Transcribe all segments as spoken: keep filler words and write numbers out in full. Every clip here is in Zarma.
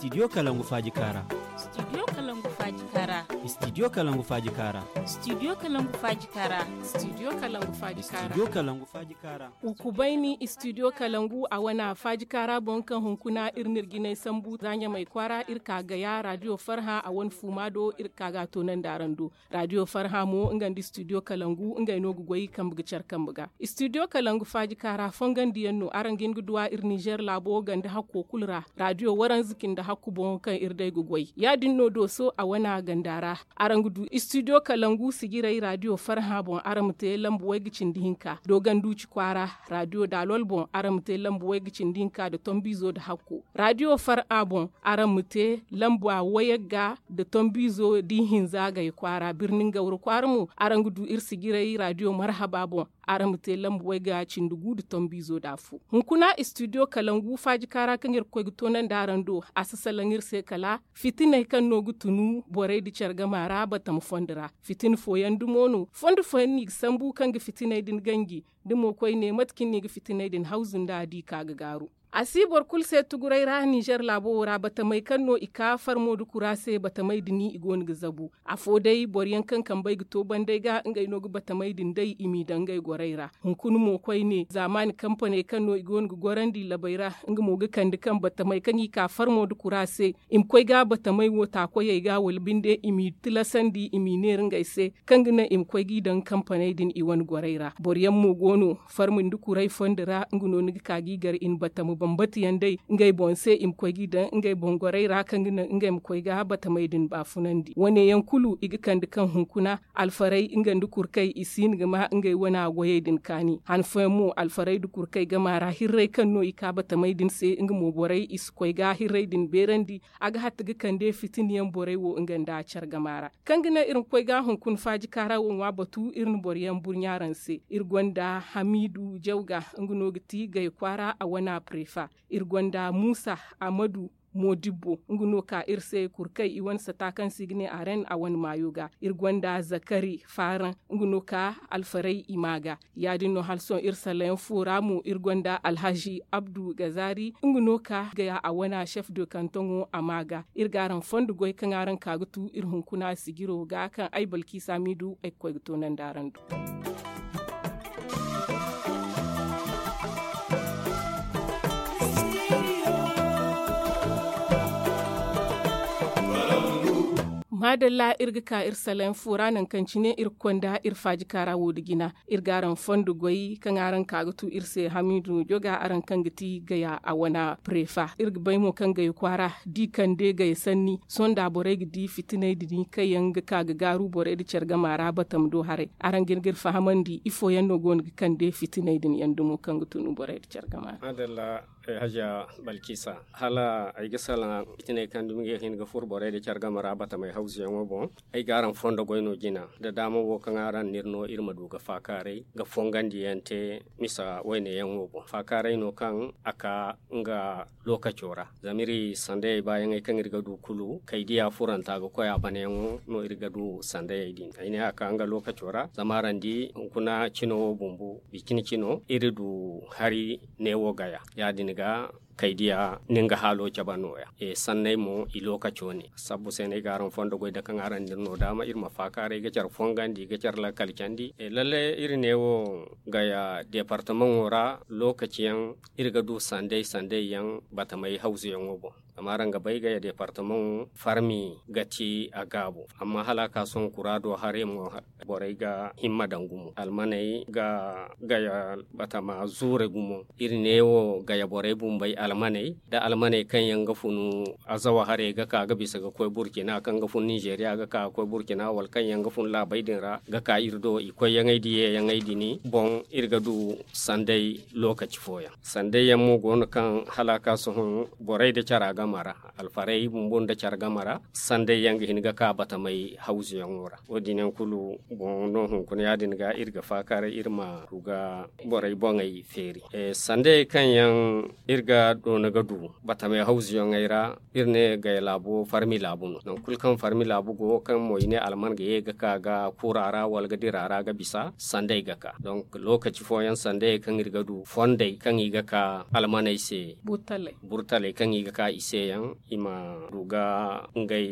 Studio Kalangu Faaji Kaara. Studio Kalangu Faaji Kaara. Studio Kalangu Faaji Kaara. Studio Kalangu Faaji Kaara. Studio Kalangu Faaji Kaara. Studio Kalangu Faaji Kaara. Ukubayni Studio Kalangu a wane Faaji Kaara boŋ kaŋ hunkuna iri n'iri jinay sambu za Ɲamay kwaara iri ka ga ya radio Farhã a wane fuuma do iri ka ga a toonandi araŋ do. Radio Farhã mo nga nda Studio Kalangu ngey no ga goy kambe ga care kambe ga. Studio Kalangu Faaji Kaara fongandiyaŋ no araŋ ga hin ga duw'a iri Nizer laabo ganda hakko kulu ra. Radio waranza cindi hakku boŋo kaŋ iri day ga goy ya-din no dooso a wana ganda ra. Araŋ ga du Studio Kalangu sijirey radio Farhã boŋ araŋ ma te lambu way ga cindi hinka dooganduuci kwaara. Radio daalol boŋ araŋ ma te lambu way ga cindi hinka nda tombiizo nda hakko. Radio Farhã boŋ araŋ ma te lamba wayagga nda tombiizo da ihinza gay kwaara birnin gawra kwaara mo. Araŋ ga du iri sijirey radio marhaba boŋ. Araŋ ma te lamba wayga cindi gu nda tombiizo nda afo. Hunkuna studio kalangu faaji kaara kaŋ iri ga koy ga toonandi araŋ do. A si salaŋ iri se kala fitiney kaŋ no ga tunu borey nda care gama ra batama fondo ra. Fitina fooyaŋ dumo no fondo fooyaŋ no i ga sambu kaŋ ga fitiney din ganji. Da mo koyne mate kaŋ no i ga fitiney din hawzu nda a di ka ga gaaru. A si boro kulu se tuguray ra nizer laabo wo ra batamey kaŋ no i ka farmo nda kura se batamey din i go no ga zabu. Afo day boro yaŋ kaŋ kambey ga to banday ga ngey no ga batamey din day i m'i daŋ ngey gorey ra. Hunkuna mo koyne zaamaani kampaney kaŋ no i go no ga gorandi labey ra, nga mo ga kande kaŋ batamey kaŋ i ka farmo nda kura se i ma koy ga batamey wo taakoyey ga wala binde i m'i tilasandi i m'i neera ngey se, kaŋ ga naŋ i ma koy g'i daŋ kampaney din i wane gorey ra. Boro yaŋ mo go no farmi nda kuray fondo ra nga no ni ga ka g'i gar i na batama bambata yaŋ day ngey boŋ se i ma koy g'i daŋ ngey boŋ gorey ra kaŋ ga naŋ ngey ma koy ga batamey din baafunandi. Wane yaŋ kulu i ga kande kaŋ hunkuna alfarey nga nda kurkey i si hin ga ma ngey wana goyey din kaani. Han fooyaŋ mo alfarey nda kurkey gama ra hirrey kaŋ no i ka batamey din se nga mo borey i si koy ga hirrey din beerandi. A ga hatta ga kande fitina yaŋ borey wo nga nda care gama ra. Kaŋ ga naŋ iri ma koy ga hunkuna faaji kaara wo ŋwa batu iri na boro yaŋ burɲa araŋ se. Iri gonda hamiidu jawga nga no ga ti gay kwaara a wana prefa. Iri gonda muusa amadu moodibbo nga no ka iri se kurkay i wane sata kaŋ se i ga ne aren a wane maayo ga. Iri gonda zakari faaraŋ nga no ka alfaray i ma ga. Ya-din no hala sohõ iri salayaŋ fo ra mo iri gonda alhazi abdu gazari nga no ka gaya a wana chef de kantoŋo a ma ga. Iri ga araŋ fondo goy kaŋ araŋ ka ga tu iri hunkuna sijiro ga kaŋ ay balkisa miidu ay ga koy ga toonandi araŋ do. Maadalla iri ga ka iri salayaŋ fo ra nangu kaŋ cine iri ga konda iri faaji kaara wo nda jina. Iri ga araŋ fondo goy kaŋ araŋ ka ga tu iri se hamiidu joga araŋ kaŋ ga ti gaya a wana prefa iri ga bay mo kaŋ gaya kwaara da i kande gaya sanni sohõ nda borey ga di fitiney din kaŋ yaŋ ga ka ga gaaru borey nda care gama ra batama do haray. Araŋ ga hin ga iri fahamandi ifo yaŋ no go no ga kande fitiney din yaŋ dumo kaŋ ga tunu borey nda care gama ra. Hajiya balkisa, hala ay ga salaŋ fitiney kaŋ dumi ga hin ga furo borey nda care game ra batamey hawzuyaŋo boŋ. Ay ga araŋ fondo goy no jina nda daama wo kaŋ araŋ n'iri no iri ma du ga faakaaray ga fongandiyaŋ te misa wayneyaŋo boŋ faakaaray no kaŋ a ka nga lookaco ra. Zama iri sandayey baayaŋey kaŋ iri ga du kulu kaydiya furanta ga koy a banayaŋo no iri ga du sandayey din ay ne a ka nga lookaco ra zama araŋ di hunkuna cino wo bumbo bicine cino iri du hari neewo gaya. Ya-din ga kaydiya nin ga haalo cabe nooya. Sanney mo i lookaco ne sabbu se no ay ga araŋ fondo goy da kaŋ araŋ n'iri no daama iri ma faakaaray ga care fongandi ga care lakkal candi lalle iri neewo gaya deepartamaŋo ra lookaci yaŋ iri ga du sanday sanday yaŋ batamay hawzuyaŋo boŋ. Zama araŋ ga bay gaya deepartamaŋo farmi ga ti a gaabo amma hala a ka sohõ kura do haray mo borey ga himma daŋ gumo almaney ga gaya batama zuure gumo. Iri neewo gaya borey bumbey almaney da almaney kaŋ yaŋ ga funu azawa haray ga ka ga bisa ga koy burkina kaŋ ga fun nizeriya ga ka ga koy burkina wala kaŋ yaŋ ga fun laabey din ra ga ka iri do i koyyaŋey da yeeyaŋey din boŋ iri ga du sanday lookaci fooyaŋ. Sanday yaŋ mo go no kaŋ hala a ka sohõ borey nda cara game ra alfarey bumbo nda care game ra sanday yaŋ ga hin ga ka batamey hawzuyaŋo ra. Wo- din yaŋ kulu boŋ no hunkuna ya- din ga iri ga faakaaray iri ma du ga borey boŋey feeri. Sandayey kaŋ yaŋ iri ga doona ga du batamey hawzuyaŋey ra iri ne gaya laabo farmi laabu no nangu kulu kaŋ farmi laabu go kaŋ mo i ne alman ga ye ga ka ga kuura ra wala ga dira ra ga bisa sanday ga ka donk lookaci fooyaŋ sandayey kaŋ iri ga du fondey kaŋ i ga ka almaney se burtaley kaŋ i ga ka i se. yaŋ i ma du ga ngey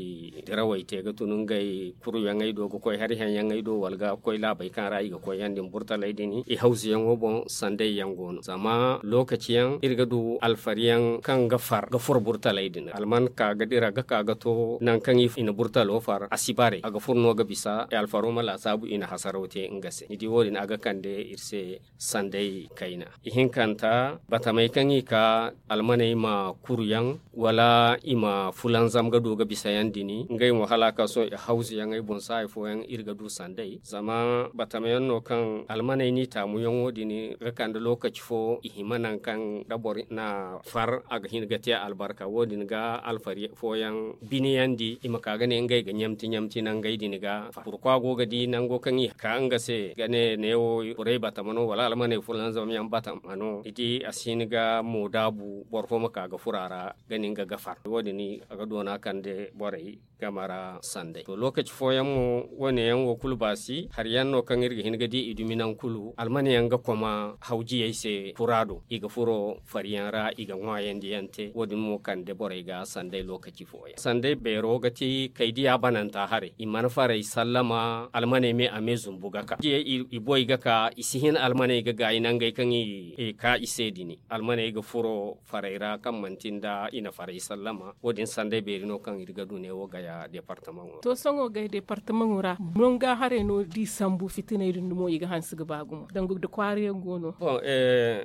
dirawey te ga tun ngey kuruyaŋey do ga koy hari haŋyaŋey do wala ga koy laabey kaŋ ra i ga koy yaŋ din burtaley din i hawzuyaŋo boŋ. Sanday yaŋ go no zama lokaci yaŋ iri ga du alfari yaŋ kaŋ ga far ga furo burtaley din alman ka ga dira ga ka ga to nangu kaŋ i na burtalo far a si bare a ga furo no ga bisa alfaro ma laasaabu i na hasaraw te nga se ni di wo- din a ga kande iri se sanday kayna. Ihinkanta batamey kaŋ i ka almaney ma kuru yaŋ wala i ma fulanzam ga du ga bisa yaŋ din ngey mo hala a ka sohõ i hawzu yaŋey boŋ se hari fooyaŋ iri ga du sanday zama batama yaŋ no kaŋ almaney n'i taamu yaŋo din ga kande lokaci fo i hima nangu kaŋ da boro na far a ga hin ga te albarka wo- din ga alfari fooyaŋ biniyandi i ma ka ga ne ngey ga ɲamti ɲamti nangey din ga far burkwa go ga di nango kaŋ i ka nga se ga ne neewo borey batama no wala almaney fulanzam yaŋ batama no ni di a si hin ga moodaabu boro fo ma ka ga furo a ra ga nin ga gafar wo- din a ga doona kande borey game ra sanday to lokaci fooyaŋ mo wo- ne yaŋ wo kulu baasi hari yaŋ no kaŋ iri ga hin ga di i dumi nangu kulu almane yaŋ ga koma hawjiyey se kura do i ga furo fari yaŋ ra i ga ŋwaayandi yaŋ te wo- din mo kande borey ga sanday lokaci fooyaŋ sanday beero ga ti kay diya bananta haray i mana faray sallama almaney me a me zumbu ga ka i boy ga ka i si hin almaney ga gaayi nangey kaŋ i ka i se din almaney ga furo faray ra kaŋ manti nda i na faray sallama wo- din sanday beeri no kaŋ iri ga du neewo gaya departamaŋo ra to sohõ gaya departamaŋo ra nonga haray no da i sambu fitiney din dumo i ga hanse ga ba gumo danga da kwaara yaŋ go no boŋ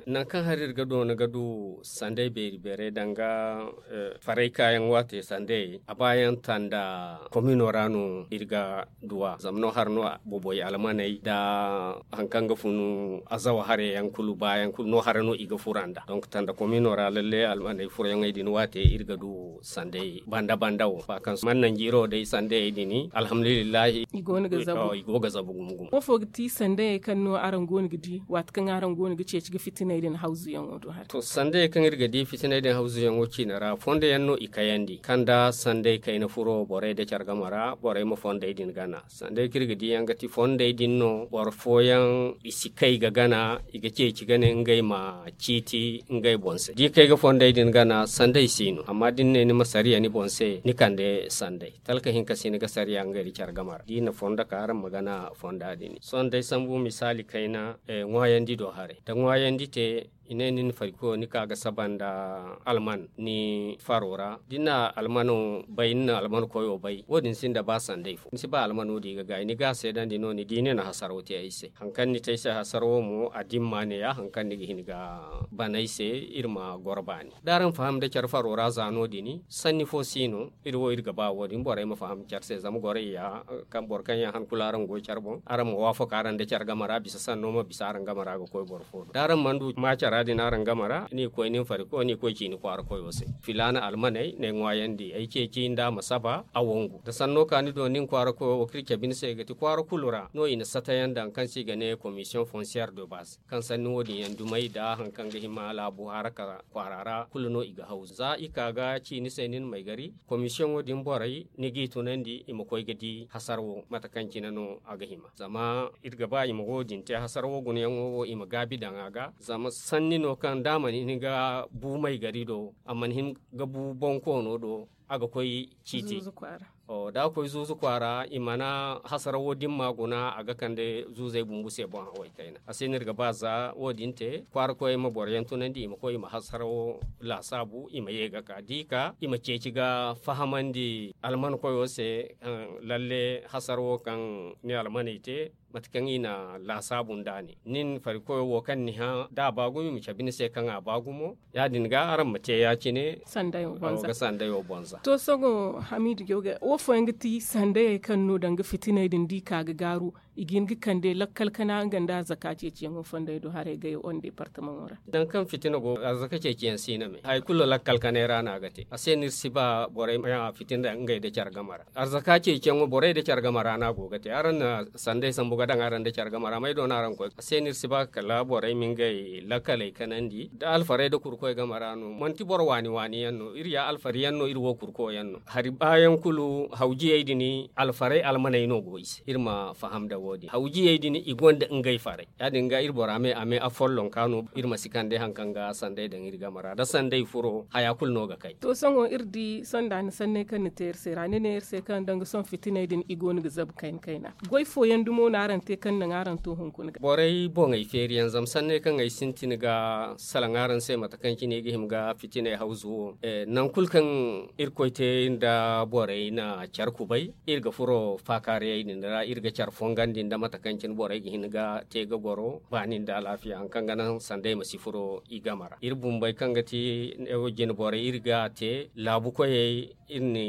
nangu kaŋ hari iri ga doona ga du sanday beeri beeray danga faray kaayaŋ waate sanday a baayaŋ tanda komino ra no iri ga duwa zama no hara no boboy almaney da hari kaŋ ga funu azawa haray yaŋ kulu baayaŋ kulu no hara no i ga fura nda donk tanda komino ra lalle almaney furayaŋey din waate iri ga du sanday banda banda wo ba kaŋ man nanjiiro day sandayey din alhamdulillahi i go ga zabu gumo gumo wo fo ga ti sandayey kaŋ no araŋ go no ga di waati kaŋ araŋ go no ga ceeci ga fitiney din hawzuyaŋo do hara to sandayey kaŋ iri ga di fitiney din hawzuyaŋo ciina ra fondo yaŋ no i kayandi kaŋ da sanday kayna furo borey da care game ra borey ma fondey din gana sanday kaŋ iri ga di yaŋ ga ti fondey din no boro fooyaŋ i si kay ga gana i ga ceeci ga ne ngey ma ciiti ngey boŋ se da i kay ga fondey din gana sanday si no amma da ni ne ni ma sariya ni boŋ se ni kande sanday talka hinka si ni ga sariya ngey da care game ra da i na fondo ka araŋ ma gana fonda din sohõ day sambu misaali kayna ŋwaayandi do haray da ŋwaayandi te i ne ni na farikoyo ni ka ga saba nda alman ni faro ra da ni na almano bay ni na alman koyo bay wo- din sinda ba sanday fo ni si ba almano di ga gaayi ni ga a seedandi no ni di ni na hasaro te ay se hari kaŋ ni te ay se hasaro wo mo a dimma ne ya hari kaŋ ni ga hin ga ban ay se iri ma goro baani da araŋ faham da care faro ra za no- din sanni fo si no iri wo iri ga ba wo- din borey ma faham care se zama gorey ya kaŋ boro kaŋ yaŋ han kulu araŋ go care boŋ araŋ ma waafaka araŋ da care game ra bisa sanno ma bisa araŋ game ra ga koy boro fo do da araŋ mana du ma cara din araŋ game ra ni koy nin fariko ni koy ci ni kwaara koyo se filaana almaney ne ŋwaayandi ay ceeci nda ma saba a wangu da sanno ka ni do nin kwaara koyo wo kaŋ iri cabe ni se ga ti kwaara kulu ra no i na satayaŋ daŋ kaŋ se i ga ne commission foncière de base kaŋ sanni wo- din yaŋ dumey da hari kaŋ ga hima laabu haraka kwaara ra kulu no i ga haw za i ka ga ci ni se ni na may gari komisiyoŋo din borey ni g'i tunandi i ma koy ga di hasar wo mate kaŋ cine no a ga hima zama iri ga ba i ma wo- din te hasar wo gunayaŋo wo i ma gaabi daŋ a ga zama sanni no kaŋ da a mana hin ga bu may gari do a mana hin ga bu bonkoono do a ga koy ciiti da a koy zuuzu kwaara i mana hasarawo dimma guna a ga kande zuuzey bumbu se boŋ haway kayna a se no iri ga ba za wo- din te kwaara koyey ma boro yaŋ tunandi i ma koy i ma hasarawo laasaabu i ma ye ga ka da i ka i ma ceeci ga fahamandi alman koyo se lalle hasarawo kaŋ ni almaney te mate kaŋ i na laasaabu nda ne nin farikoyo wo kaŋ ni hã da a ba gumo i ma cabe ni se kaŋ a ba gumo ya- din ga araŋ ma te ya- cine sandayo bonza to sohõ hamidu jawga wo fooyaŋ ga ti sandayey kaŋ no danga fitiney din da i ka ga gaaru i ga hin ga kande lakkal kana nga nda arzaka ceeciyaŋo fondey do haray gayo on departamaŋo ra danga kaŋ fitina go arzaka ceeciyaŋ si no me hari kulu lakkal kanay ra no a ga te a se no iri si ba borey ma fitina ngey nda care game ra arzaka ceeciyaŋo borey nda care game ra no a go ga te araŋ na sanday sambu ga daŋ araŋ nda care game ra may do no araŋ koy a se no iri si ba kala borey ma ngey lakkaley kanandi da alfarey nda kurkoy game ra no manti boro waani waani yaŋ no iri ya alfari yaŋ no iri wo kurko yaŋ no hari baayaŋ kulu hawjiyey din alfarey almaney no go i se iri ma faham da Wo- din hawjiyey din i gonda ngey faray. Ya- din ga iri bora me a me afollonka no iri ma si kande hari kaŋ ga sanday daŋ iri game ra da sanday furo haya kulu no ga kay. To sohõ iri di sonda ni sanney kaŋ ni te iri se ra ni ne iri se kaŋ danga sohõ fitiney din i go no ga zabu kayna kayna. Goy fooyaŋ dumo no araŋ te kaŋ naŋ araŋ to hunkuna ga borey boŋey feeri yaŋ zama sanney kaŋ ay sintin ga salaŋ araŋ se mate kaŋ cine i ga hima ga fitiney hawzu wo. Nangu kulu kaŋ irkoy te nda borey na care kubay, iri ga furo faakaariyey din ra iri ga care fongandi nda mate kaŋ cine borey ga hin ga te ga goro baani nda alaafiya hari kaŋ ga naŋ sanda i ma si furo i game ra iri bumbey kaŋ ga ti jine borey iri ga te laabu koyey iri na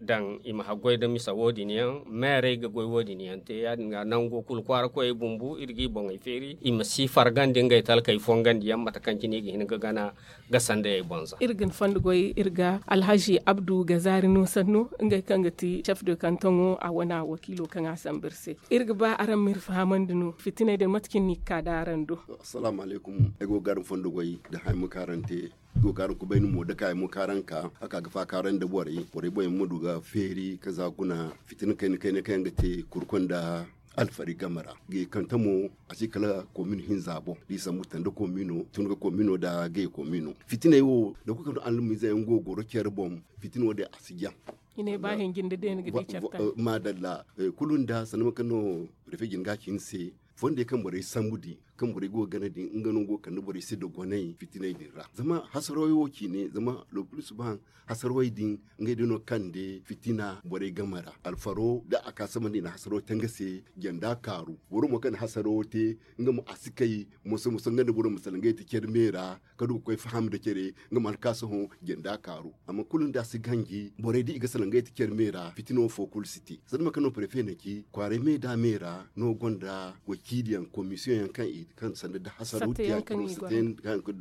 daŋ i ma haggoy nda misa wo- din yaŋ meerey ga goy wo- din yaŋ te ya- din ga nango kulu kwaara koyey bumbu iri g'i boŋey feeri i ma si fargandi ngey talkey fongandi yaŋ mate kaŋ cine i ga hin ga gana ga sandayey boŋ za. Iri ga ni fondo goy iri ga alhazi abdu ga zaari no sanno ngey kaŋ ga ti chef de kantoŋo a wane wakiilo kaŋ a sambu iri se. Iri ga ba araŋ ma iri fahamandi no fitiney din mate cine no i ga ka da araŋ do? Assalaamu alaykum. Ay go ga araŋ fondo goy da haya ma kaarante. Go ga araŋ kubay ni mo da ka ay mo kaaraŋ ka a ka ga faakaaraŋ nda borey borey boŋ yaŋ ma du ga feeri ka za guna fitina kayna kayna kaŋ yaŋ ga te kurkoy nda alfari game ra. Ga i kante mo a si kala komin hinza boŋ da i sambu tanda komino tun ga komino nda gay komino fitiney wo da kulu kaŋ almiize yaŋ go ga goro care boŋ. Fitina wo- din a si jaŋ. I ne ba hinjin da deena ga di care taŋ. Maadalla. Kulu nda sanda mate kaŋ no prefe jin ga a ci ni se fondey kaŋ borey sambu din kaŋ borey go ga gana din nga no go ga kande borey se dogonay fitiney din ra zama hasarawey wo ciine zama le plus souvent hasarawey din ngey day no ga kande fitina borey game ra alfaro da a ka samandi i na hasaro te nga se janda kaaru boro mo kaŋ na hasaro te nga mo a si kay moso moso nga nda boro ma salaŋ ngey te care me ra ka du ga koy faham nda care nga ma alkaasaho janda kaaru. Amma kulu nda a si ganji borey da i ga salaŋ ngey te care me ra fitina wo fo kulu si te sanda mate kaŋ no prefe na ci kwaaray me da me ra no gonda wakiiliyaŋ komisiyoŋ yaŋ kaŋ i kaŋ sanda da hasaro te a cino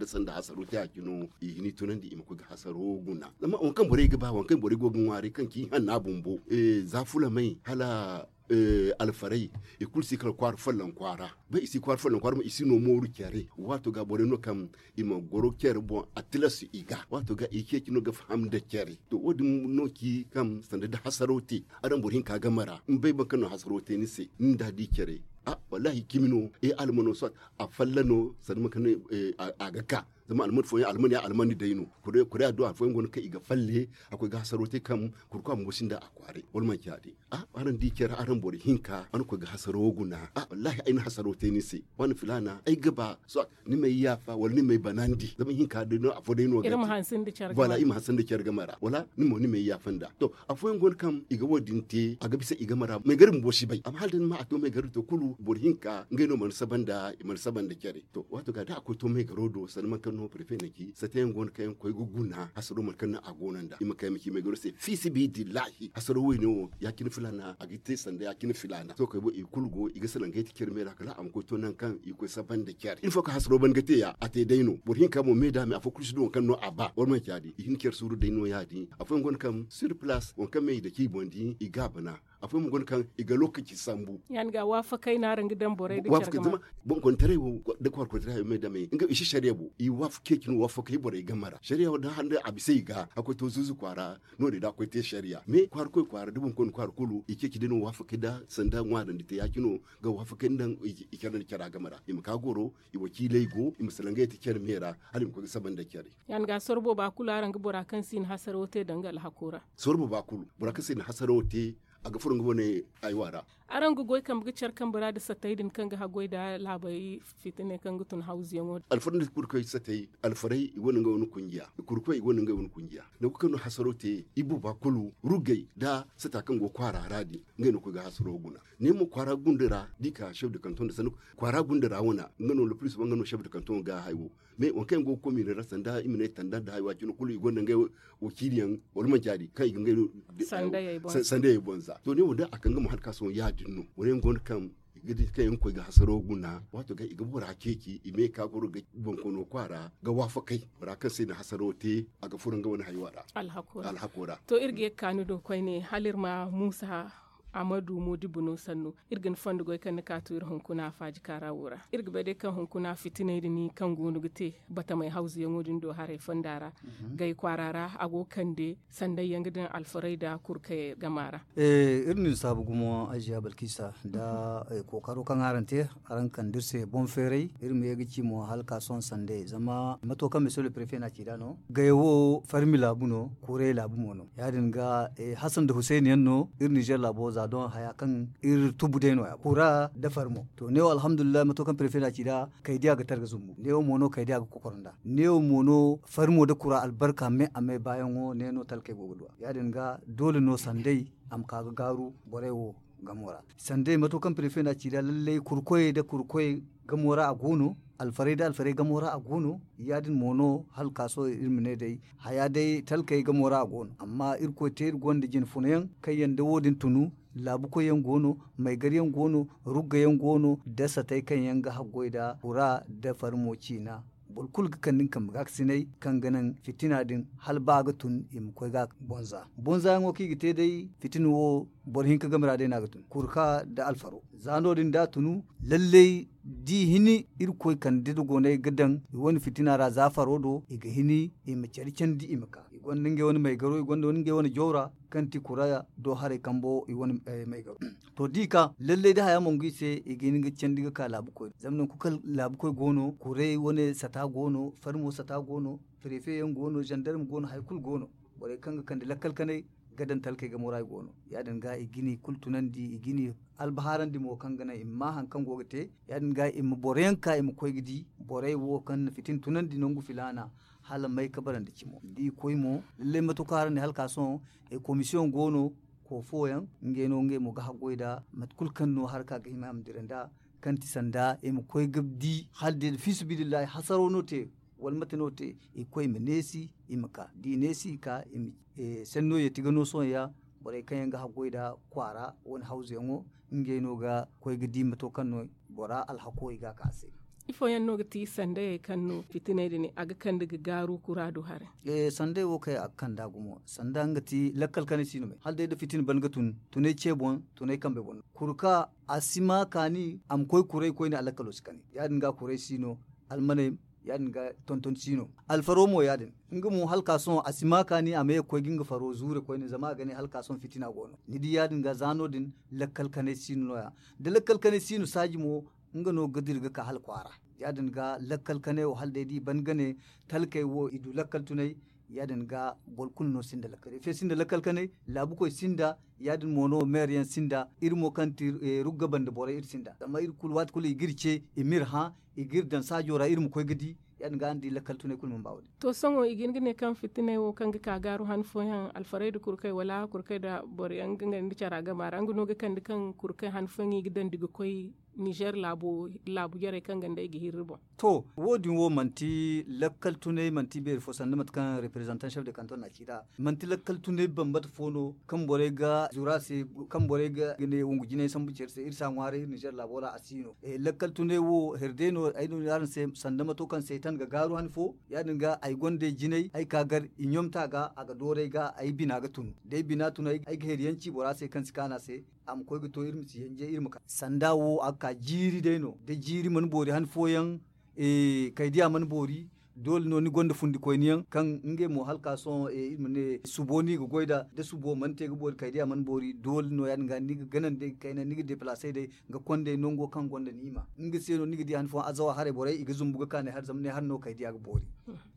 sanda hasaro te a cino i hini tunandi i ma koy ga hasaro guna zama waŋ kaŋ borey ga ba waŋ kaŋ borey go ga ŋwaaray kaŋ ci hanna bumbo za fulamey hala alfarey i kulu si kala kwaara folloŋ kwaara ba i si kwaara folloŋ kwaara ma i si no mooru care waato ga borey no kaŋ i ma goro care boŋ a tilas i ga waato ga i ceeci no ga faham nda care. To wo- din no ci kaŋ sanda da hasaro te araŋ boro hinka game ra ni bay boro kaŋ no hasaro te ni se ni nda a di care. Wallahi cimi no ay almano soit a falla no sanda mate kaŋ a ga ka zama alman fooyaŋ alman ya alman day no. Kuri addu'a fooyaŋ go no kaŋ i ga falle a koy ga hasaro te kaŋ kurkwa bumbo sinda a kwaaray wala manci ya- din. Araŋ di care araŋ boro hinka araŋ koy ga hasaro wo guna. Wallahi ay na hasaro te ni se wane filaana ay ga ba soit ni m'ay yaafa wala ni m'ay banandi zama hinka day no afo day no ga te. Voilà i ma hanse nda care game ra wala ni mo ni m'ay yaafa nda to afooyaŋ go no kaŋ i ga wo- din te a ga bisa i game ra maygari bumbo si bay amma hala day ni ma a to maygari to kulu boro hinka ngey no mana saba nda i mana saba nda care. To waato ga da a koy to maygaro do sanda mate kaŋ no prefe na ci sata yaŋ go no kaŋ yaŋ koy ga guna hasaro mate kaŋ no a go no nda i ma kay ma ci maygaro se fiisibidillahi hasaro wayne wo ya- cine filaana a ga te sanda ya- cine filaana sohõ kay bo i kulu go i ga salaŋ ga ay ti care me ra kala a ma koy to nangu kaŋ i ga koy saba nda care il faut kaŋ hasaro ban ga te ya a te day no boro hinka mo me da me afo kulu si du waŋ kaŋ no a ba wala manci ya- din i hin care suuru day no ya- din afooyaŋ go no kaŋ sur place waŋ kaŋ me i dake i boŋ din i ga a bana. Afooyaŋ mo go no kaŋ i ga lookaci sambu. Ya- din ga waafakay no araŋ ga daŋ borey da care game ra. Boŋ kontaray wo da kwaara kontaray hayo me da me nga i si sariya bo i waafakey cine waafakey borey game ra sariya wo da handa a bisa i ga a koy to zuuzu kwaara no- din da a koy te sariya me kwaara koy kwaara da boŋ koy no kwaara kulu i ceeci day no waafakey da sanda ŋwaarandi te ya- cino ga waafakey nda i care nda cara game ra i ma ka goro i wakiiley go i ma salaŋ ga yay te care me ra hala i ma koy ga saba nda care. Ya- din ga sorro booba kulu araŋ ga bora kaŋ si na hasaro te danga alhako ra. Sorro booba kulu bora kaŋ si na hasaro te a ga furo nga wane haywa ra. Araŋ ga goy kambe ga care kambe ra nda satey din kaŋ ga haggoy nda laabey fitiney kaŋ ga tun hawzuyaŋo din. Alfarey nda kurkoy satey alfarey i gonda ngey wane kunjiya kurkoy i gonda ngey wane kunjiya nangu kaŋ no hasaro te i booba kulu ruggey nda sata kaŋ go kwaara ra din ngey no ga koy ga hasaro guna. Ne mo kwaara gunda ra da i ka chef de canton nda sanni kwaara gunda ra wane nga no le plus souvent nga no chef de canton ga haya wo. Mais waŋ kaŋ yaŋ go ga koy miila ra sanda i ma ne tanda nda haya wo a cine kulu i gonda ngey wakiiliyaŋ wala manci ya- din kaŋ i ga ngey sandayey boŋ za to ne wo da a kaŋ ga ma hari ka sohõ ya- din no boro yaŋ go no kaŋ i ga di kaŋ yaŋ ga koy ga hasaro guna waato ga i ga bora ceeci i me ka goro ga boŋ koy no kwaara ga waafakay bora kaŋ se na hasaro te a ga furo nga wane haywa ra. Alhako ra. To iri ga ye ga ka ni do koyne hala iri ma muusa. Amadu moodibo no sanno. Iri ga ni fondo goy kaŋ ni ka to iri hunkuna faaji kaara wo ra. Iri ga bay day kaŋ hunkuna fitinay din kaŋ go no ga te batamay hawzuyaŋo din do haray fonda ra. Gay kwaara ra a go ga kande sanday yaŋ ga daŋ alfaray nda kurkay gama ra. Iri na ni saabu gumo aziya balkisa nda kookaro kaŋ araŋ te, araŋ kande iri se boŋ feeray. Iri ma ye ga ci mo hala ka sohõ sanday zama mato kaŋ misiyo le prefe no a ci nd'a no. Gay wo farmi laabu no, kuray laabu mo no. Ya- din ga hasan nda husayni yaŋ no. Iri nizer laabo za doŋ haya kaŋ iri tubu day no- ya kura nda farmo. To ne wo alhamdulillahi mato kaŋ prefe no a ci nd'a, kaydiya ga targa zumbu ne wo mo no kaydiya ga kokoro nd'a. Ne wo mo no farmo nda kura albarka me a me baayaŋo ne no talkey go ga duw'a. Ya- din ga doole no sanday a ma ka ga gaaru borey wo gamo ra. Sanday mato kaŋ prefe no a ci nd'a lallay kurkoyey nda kurkoyey gamo ra a go no. Alfarey nda alfarey gamo ra a go no. Ya- din mo no hala ka sohõ iri ma ne day haya day talkey gamo ra a go no amma irkoy te iri gonda jine funa yaŋ kaŋ yaŋ da wo- din tunu. Laabukoy yaŋ go no, maygar yaŋ go no, rugga yaŋ go no, da satey kaŋ yaŋ ga haggoy nda kura nda farmo ciina. Boro kulu ga kande nga kambe gaakasinay kaŋ ga naŋ fitina din hala ba a ga tun i ma koy ga bonza bonza yaŋo kaŋ i ga te day. Fitina wo boro hinka game ra day no a ga tun kurka nda alfaro. Za no- din da a tunu lallay da i hini irkoy kande dogonay ga daŋ i wane fitina ra za faro do i ga hini i ma care candi i ma ka i gonda ngey wane maygaro i gonda ngey wane jawra kaŋ ti kura do haray kambo i wane maygaro. To da i ka lallay da haya mongu i se i ga hin ga candi ga ka laabukoy zama nangu kulu kaŋ laabukoy go no kuray wane sata go no farmo sata go no. Prefe yaŋ go no zandarma go no hari kulu go no. Borey kaŋ ga kande lakkal kanay ga daŋ talkey gamo ra i go no. Ya- din ga i ga ni kulu tunandi i ga ni albahaarandi mo kaŋ ga naŋ i ma ma hari kaŋ go ga te. Ya- din ga i ma boroyaŋ ka i ma koy ga di borey wo kaŋ na fitina tunandi nangu filaana hala may ka barandi cimo da i koy mo. Lallay mate kaŋ araŋ ne hala ka sohõ komisiyoŋ go no. Koo fooyaŋ ngey no ngey mo ga haggoy nd'a mate kulu kaŋ no haraka ga hima a ma dira nd'a kaŋ ti sanda i ma koy ga di hala day da fiisabilillahi hasaro no te wala mate no te i ga koy i ma neesi i ma ka da i neesi i ka. Senno yeeti ga no sohõ ya borey kaŋ yaŋ ga haggoy nd'a kwaara wane hawzuyaŋo ngey no ga koy ga di mato kaŋ no bora alhako i ga a ka a se. Ifo yaŋ no ga ti sandayey kaŋ no fitiney din a ga kande ga gaaru kura do haray? Sandey wo kaŋ a ga kande a gumo sanda nga ti lakkal kanay si no me hala day da fitina ban ga tun tunay ce boŋ tunay kambe boŋ no kuru ka a si ma kaani a ma koy kuray koyne a lakkalo si kani ya- din ga kuray si no. Almaney ya- din ga tonton si no. Alfaro mo ya- din nga mo hala ka sohõ a si ma kaani a ma ye ga koy ga nga faro zuure koyne zama a ga ne hala ka sohõ fitina go no ni di ya- din ga za no- din. Lakkal kanay si no no- ya da lakkal kanay si no saaji mo nga no ga dira ga ka hala kwaara. Ya- din ga lakkal kanay wo hala day da i ban ga ne talkey wo i du lakkal tunay. Ya- din ga boro kulu no sinda lakkal kanay laabukoy sinda. Ya- din mo no meere yaŋ sinda iri mo kaŋ ti rugga banda borey iri sinda zama iri kulu waati kulu i ga iri ce i ma iri hã i ga iri daŋ saajo ra iri ma koy ga di. Ya- din ga araŋ di lakkal tunay kulu mana ba wo- din. To sohõ i ga hin ga ne kaŋ fitiney wo kaŋ ga ka gaaru han fooyaŋ alfarey nda kurkey wala kurkey nda boro yaŋ ga nga nda cara gama ra nga no ga kande kaŋ kurkey han fooyaŋ i ga dandi ga koy nizer laabu jarey kaŋ ganda i ga hirri boŋ. To wo- din wo manti lakkal tunay manti beeri fo sanda mate kaŋ reprezantan chef de kanton na a ci nd'a. Manti lakkal tunay bambata fo no kaŋ borey ga zuru a se kaŋ borey ga ne wongu jinay sambu care se iri si a ŋwaaray iri nizer laabo ra a si no. Lakkal tunay wo hari day no ay no ni araŋ se sanda mato kaŋ seetan ga gaaru han fo. Ya- din ga ay gonda ay jinay ay ka gar i ɲomta ga a ga dooru ay ga ay bina ga tunu da ay bina tunu ay ga hari yaŋ ci bora se kaŋ si kaanu a se. A ma koy ga to iri ma si yanje iri ma ka sanda wo a ga ka jiiri day no da jiiri mana boori han fooyaŋ. Kaydiya mana boori doole no ni gonda fundikoyniyaŋ kaŋ ngey mo hala ka sohõ iri ma ne subo no i ga goy nd'a da subo mana te ga boori kaydiya mana boori doole no ya- din ga ni ga ganandi day ga kayna ni ga depalasey day ga konday nango kaŋ gonda niima nga se no ni ga di han fooyaŋ azawa haray borey i ga zumbu ga ka ne hari zama ne hari no kaydiya ga boori.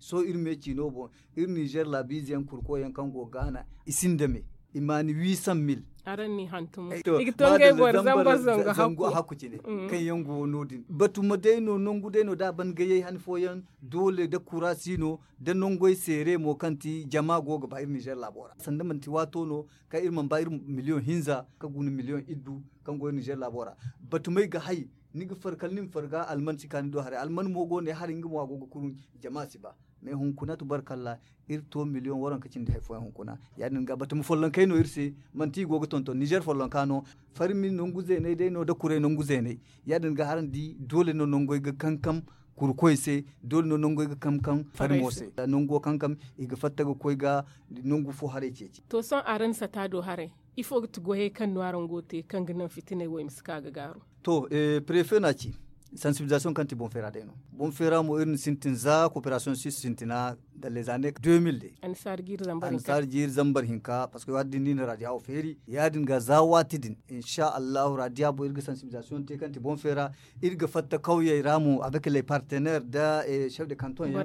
Sohõ iri me ciino boŋ iri nizer laabiize yaŋ kurkoy yaŋ kaŋ go ga gaana i sinda me i ma ni huit cent mille. Araŋ n'i hantum i ga to ngey boro zambar zangu hakku cine kaŋ yaŋ go no- din batuma day no nangu day no da a ban gayey han fooyaŋ doole da kura si no da nangoy seere mo kaŋ ti jama go ga ba iri nizer laabo ra sanda manti waato no kaŋ iri mana ba iri miliyoŋ hinza ka guna miliyoŋ iddu kaŋ go iri nizer laabo ra. Batumey ga hay ni ga far kala ni ma far ga alman si ka ni do haray alman mo go ne haray nga mo a go ga kurun jama si ba. Mais hunkuna tubarkalla iri to miliyoŋ waranka cindi hari fooyaŋ hunkuna. Ya- din ga batama follonkey no iri se manti i go ga tonton nizer follonka no farmi nangu zeeney day no da kuray nangu zeeney. Ya- din ga haraŋ di doole no nangoy ga kankam. kurkoy se. Doole no nangu ay ga kam kam farmo se nangu wo kankam i ga fatta ga koy ga nangu fo haray ceeci. To sohõ araŋ sata do haray, ifo ga ti goyey kaŋ no araŋ go ga te kaŋ ga naŋ fitiney wo i ma si ka ga gaaru? To, prefe no a ci. Sansibilizasiyoŋ kaŋ ti boŋ feera day no. Boŋ feera mo iri na sintin za koperasiyoŋ sis sintina, da lezaane deux mille day. Annasaari jiiri zambar hinka parceque waati din no i na raadiya wo feeri ya- din ga za waati din. Insa allahu raadiya boŋ iri ga sansibilizasiyoŋ te kaŋ ti boŋ feera. Iri ga fatta kawyey ra mo avec les partenaires da chef de kanton yaŋ.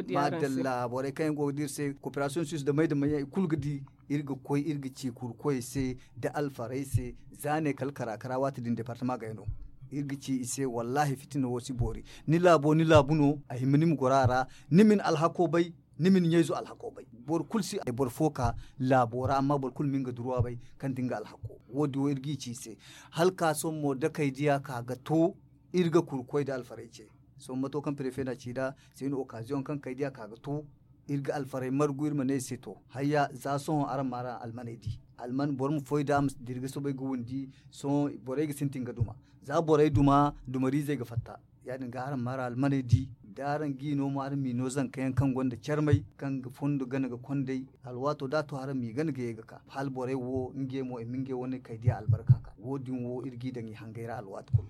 Madalla borey kaŋ yaŋ go ga di iri se koperasiyoŋ sis da may da may yaŋ i kulu ga di. Iri ga koy iri ga ci kurkoy se da alfarey se. Za ne kala kara kara waati din departama gay no. Iri ga ci i se wallahi fitina wo si boori. Ni laabo ni laabu no a hima ni ma goro a ra. Ni ma ni alhako bay. Ni ma ni ɲayzo alhako bay. Boro kulu si boro fo ka laabo ra amma boro kulu ma nga duruwa bay kaŋ ti nga alhako. Wo- din wo iri g'i ci i se. Hala ka sohõ mo dakey diya ka ga to. Iri ga kurkoy da alfarey ce. Sohõ mato kaŋ prefe na ci nd'a se ni okaziyoŋ kaŋ kay diya ka ga to. Iri ga alfarey margu iri ma ne i se to, hayya za sohõ araŋ ma araŋ almaney di. Alman boro ma foy da a ma dira ga soobay ga windi. Sohõ borey ga sintin ga duma. Za borey duma dumariizey ga fatta. Ya- din ga araŋ ma araŋ almaney di. Da araŋ g'i no mo araŋ m'i no zanka yaŋ kaŋ gonda carmay kaŋ ga fondo gana ga kondey. Alwaato da a to araŋ m'i gana ga ye ga ka hala borey wo ngey mo i ma ngey wane kay diya albarka ka wo- din wo iri g'i daŋ i hangey ra alwaati kulu.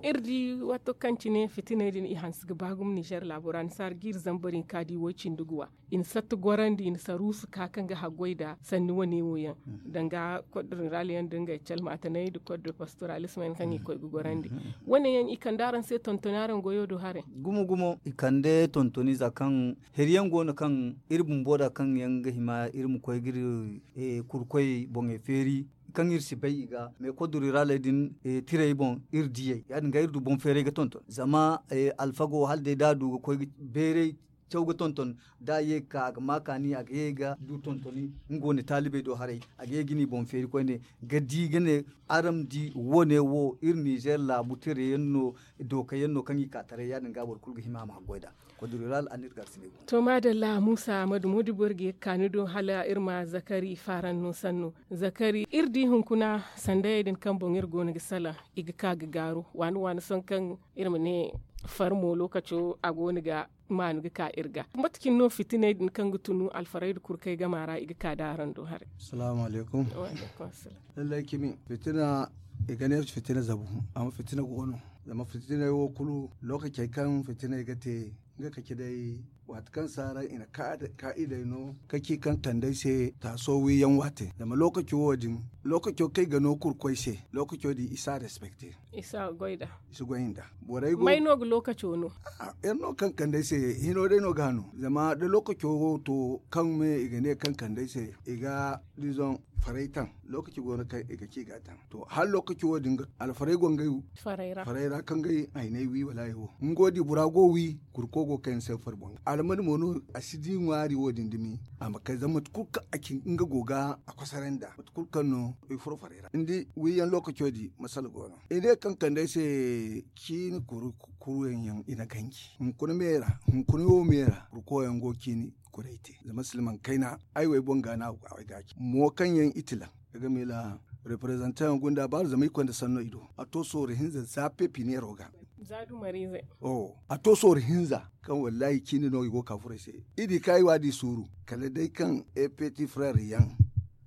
Iri di waato kaŋ cine fitiney din i hanse ga ba gumo ninzeer laabo ra annasaari jiiri zambar hinka di way cindi guwa. I na satta gorandi i na saruusu ka kaŋ ga haggoy nd'a sanni wane wo yaŋ, danga kod rinraali yaŋ da ngey calmaatanay nda kod pastoraalisma yaŋ kaŋ i koy ga gorandi. Wane yaŋ i kande araŋ se tontoni araŋ goyo do haray? Gumo gumo i kande tontoni za kaŋ heri yaŋ go no kaŋ iri bumbo nd'a kaŋ yaŋ ga hima iri ma koy ga iri kurkoy boŋey feeri. Kaŋ iri si bay i ga me kod rinraaley din tirey boŋ iri diyey ya- din ga iri du boŋ feeray ga tonton zama alfago hala day da a du ga koy ga beeray caw ga tonton. Da a ye ga ka a ga ma kaani a ga ye ga du tontoni nga wane taalibey do haray. A ga ye ga ni boŋ feeri koyne ga di ga ne araŋ ma di wane wo iri ninzeer laabu tira yaŋ no. Dooka yaŋ no kaŋ i ka taray ya- din ga boro kulu ga hima a ma haggoy nd'a. Kod rural a n'iri ga arsinay boŋ. To maadalla muusa ahmadu moodibo iri ga ye ga ka ni do hala iri ma zakari faranno sanno. Zakari iri di hunkuna sandayey din kaŋ boŋ iri go no ga salaŋ i ga ka ga gaaru waani waani sohõ kaŋ iri ma ne farmo lookaco a go no ga maanu ga ka iri ga. Mate cine no fitiney din kaŋ ga tunu alfarey nda kurkey gama ra i ga ka da araŋ do haray? Salaamu alaykum. Lallay cimi fitina i ga ne fitina zabu. Amma fitina go no zama fitiney wo kulu lookacey kaŋ fitiney ga te nga kaci day waati kaŋ si araŋ i na kaa'idey no kaci kaŋ kand'ey se taaso wiiyaŋ waate zama lookaco wo- din lookaco kaŋ i ga no kurkoy se lookaco din i si a respekte. I si a goy nd'a. I si goy nd'a. Borey go may no ga lookaco no? Iri no kaŋ kand'ey se hino day no ga a no zama da lookaco wo to kaŋ me i ga ne kaŋ kand'ey se i ga dizoŋ faray taŋ. Lookaci go no kaŋ i ga ci ga a taŋ to hala lookaci wo- din ga alfarey go ngey faray ra kaŋ ga ay hayney wi wala ay wo nga wo di bora go wi. Kurko go kaŋ yaŋ se fari boŋ almani mo no a si di ŋwaari wo- din dumi a ma kay zama mate kulu kaŋ a ci nga go ga a kosoray nd'a mate kulu kaŋ no i furo faray ra ni di wiiyaŋ lookaco di masala go no i ne kaŋ kande ay se ciini kuru kuru yaŋ yaŋ i na ganji hunkuna me ra hunkuna wo me ra kurko yaŋ go ciini kuray te zama silmaŋ kayna ay wo ay boŋ ga no a go ga a way ga a ci mo kaŋ yaŋ i tilaŋ. Ay ga miila reprezantaŋ yaŋ gunda baaru zama i konda sanno i do a to sooru hinza za pepiniyero ga. Za dumariize. A to sooru hinza kaŋ wallahi ciini no i go ga ka furo ay se. I di kaŋ ay waadi suuru kala day kaŋ epeti furere yaŋ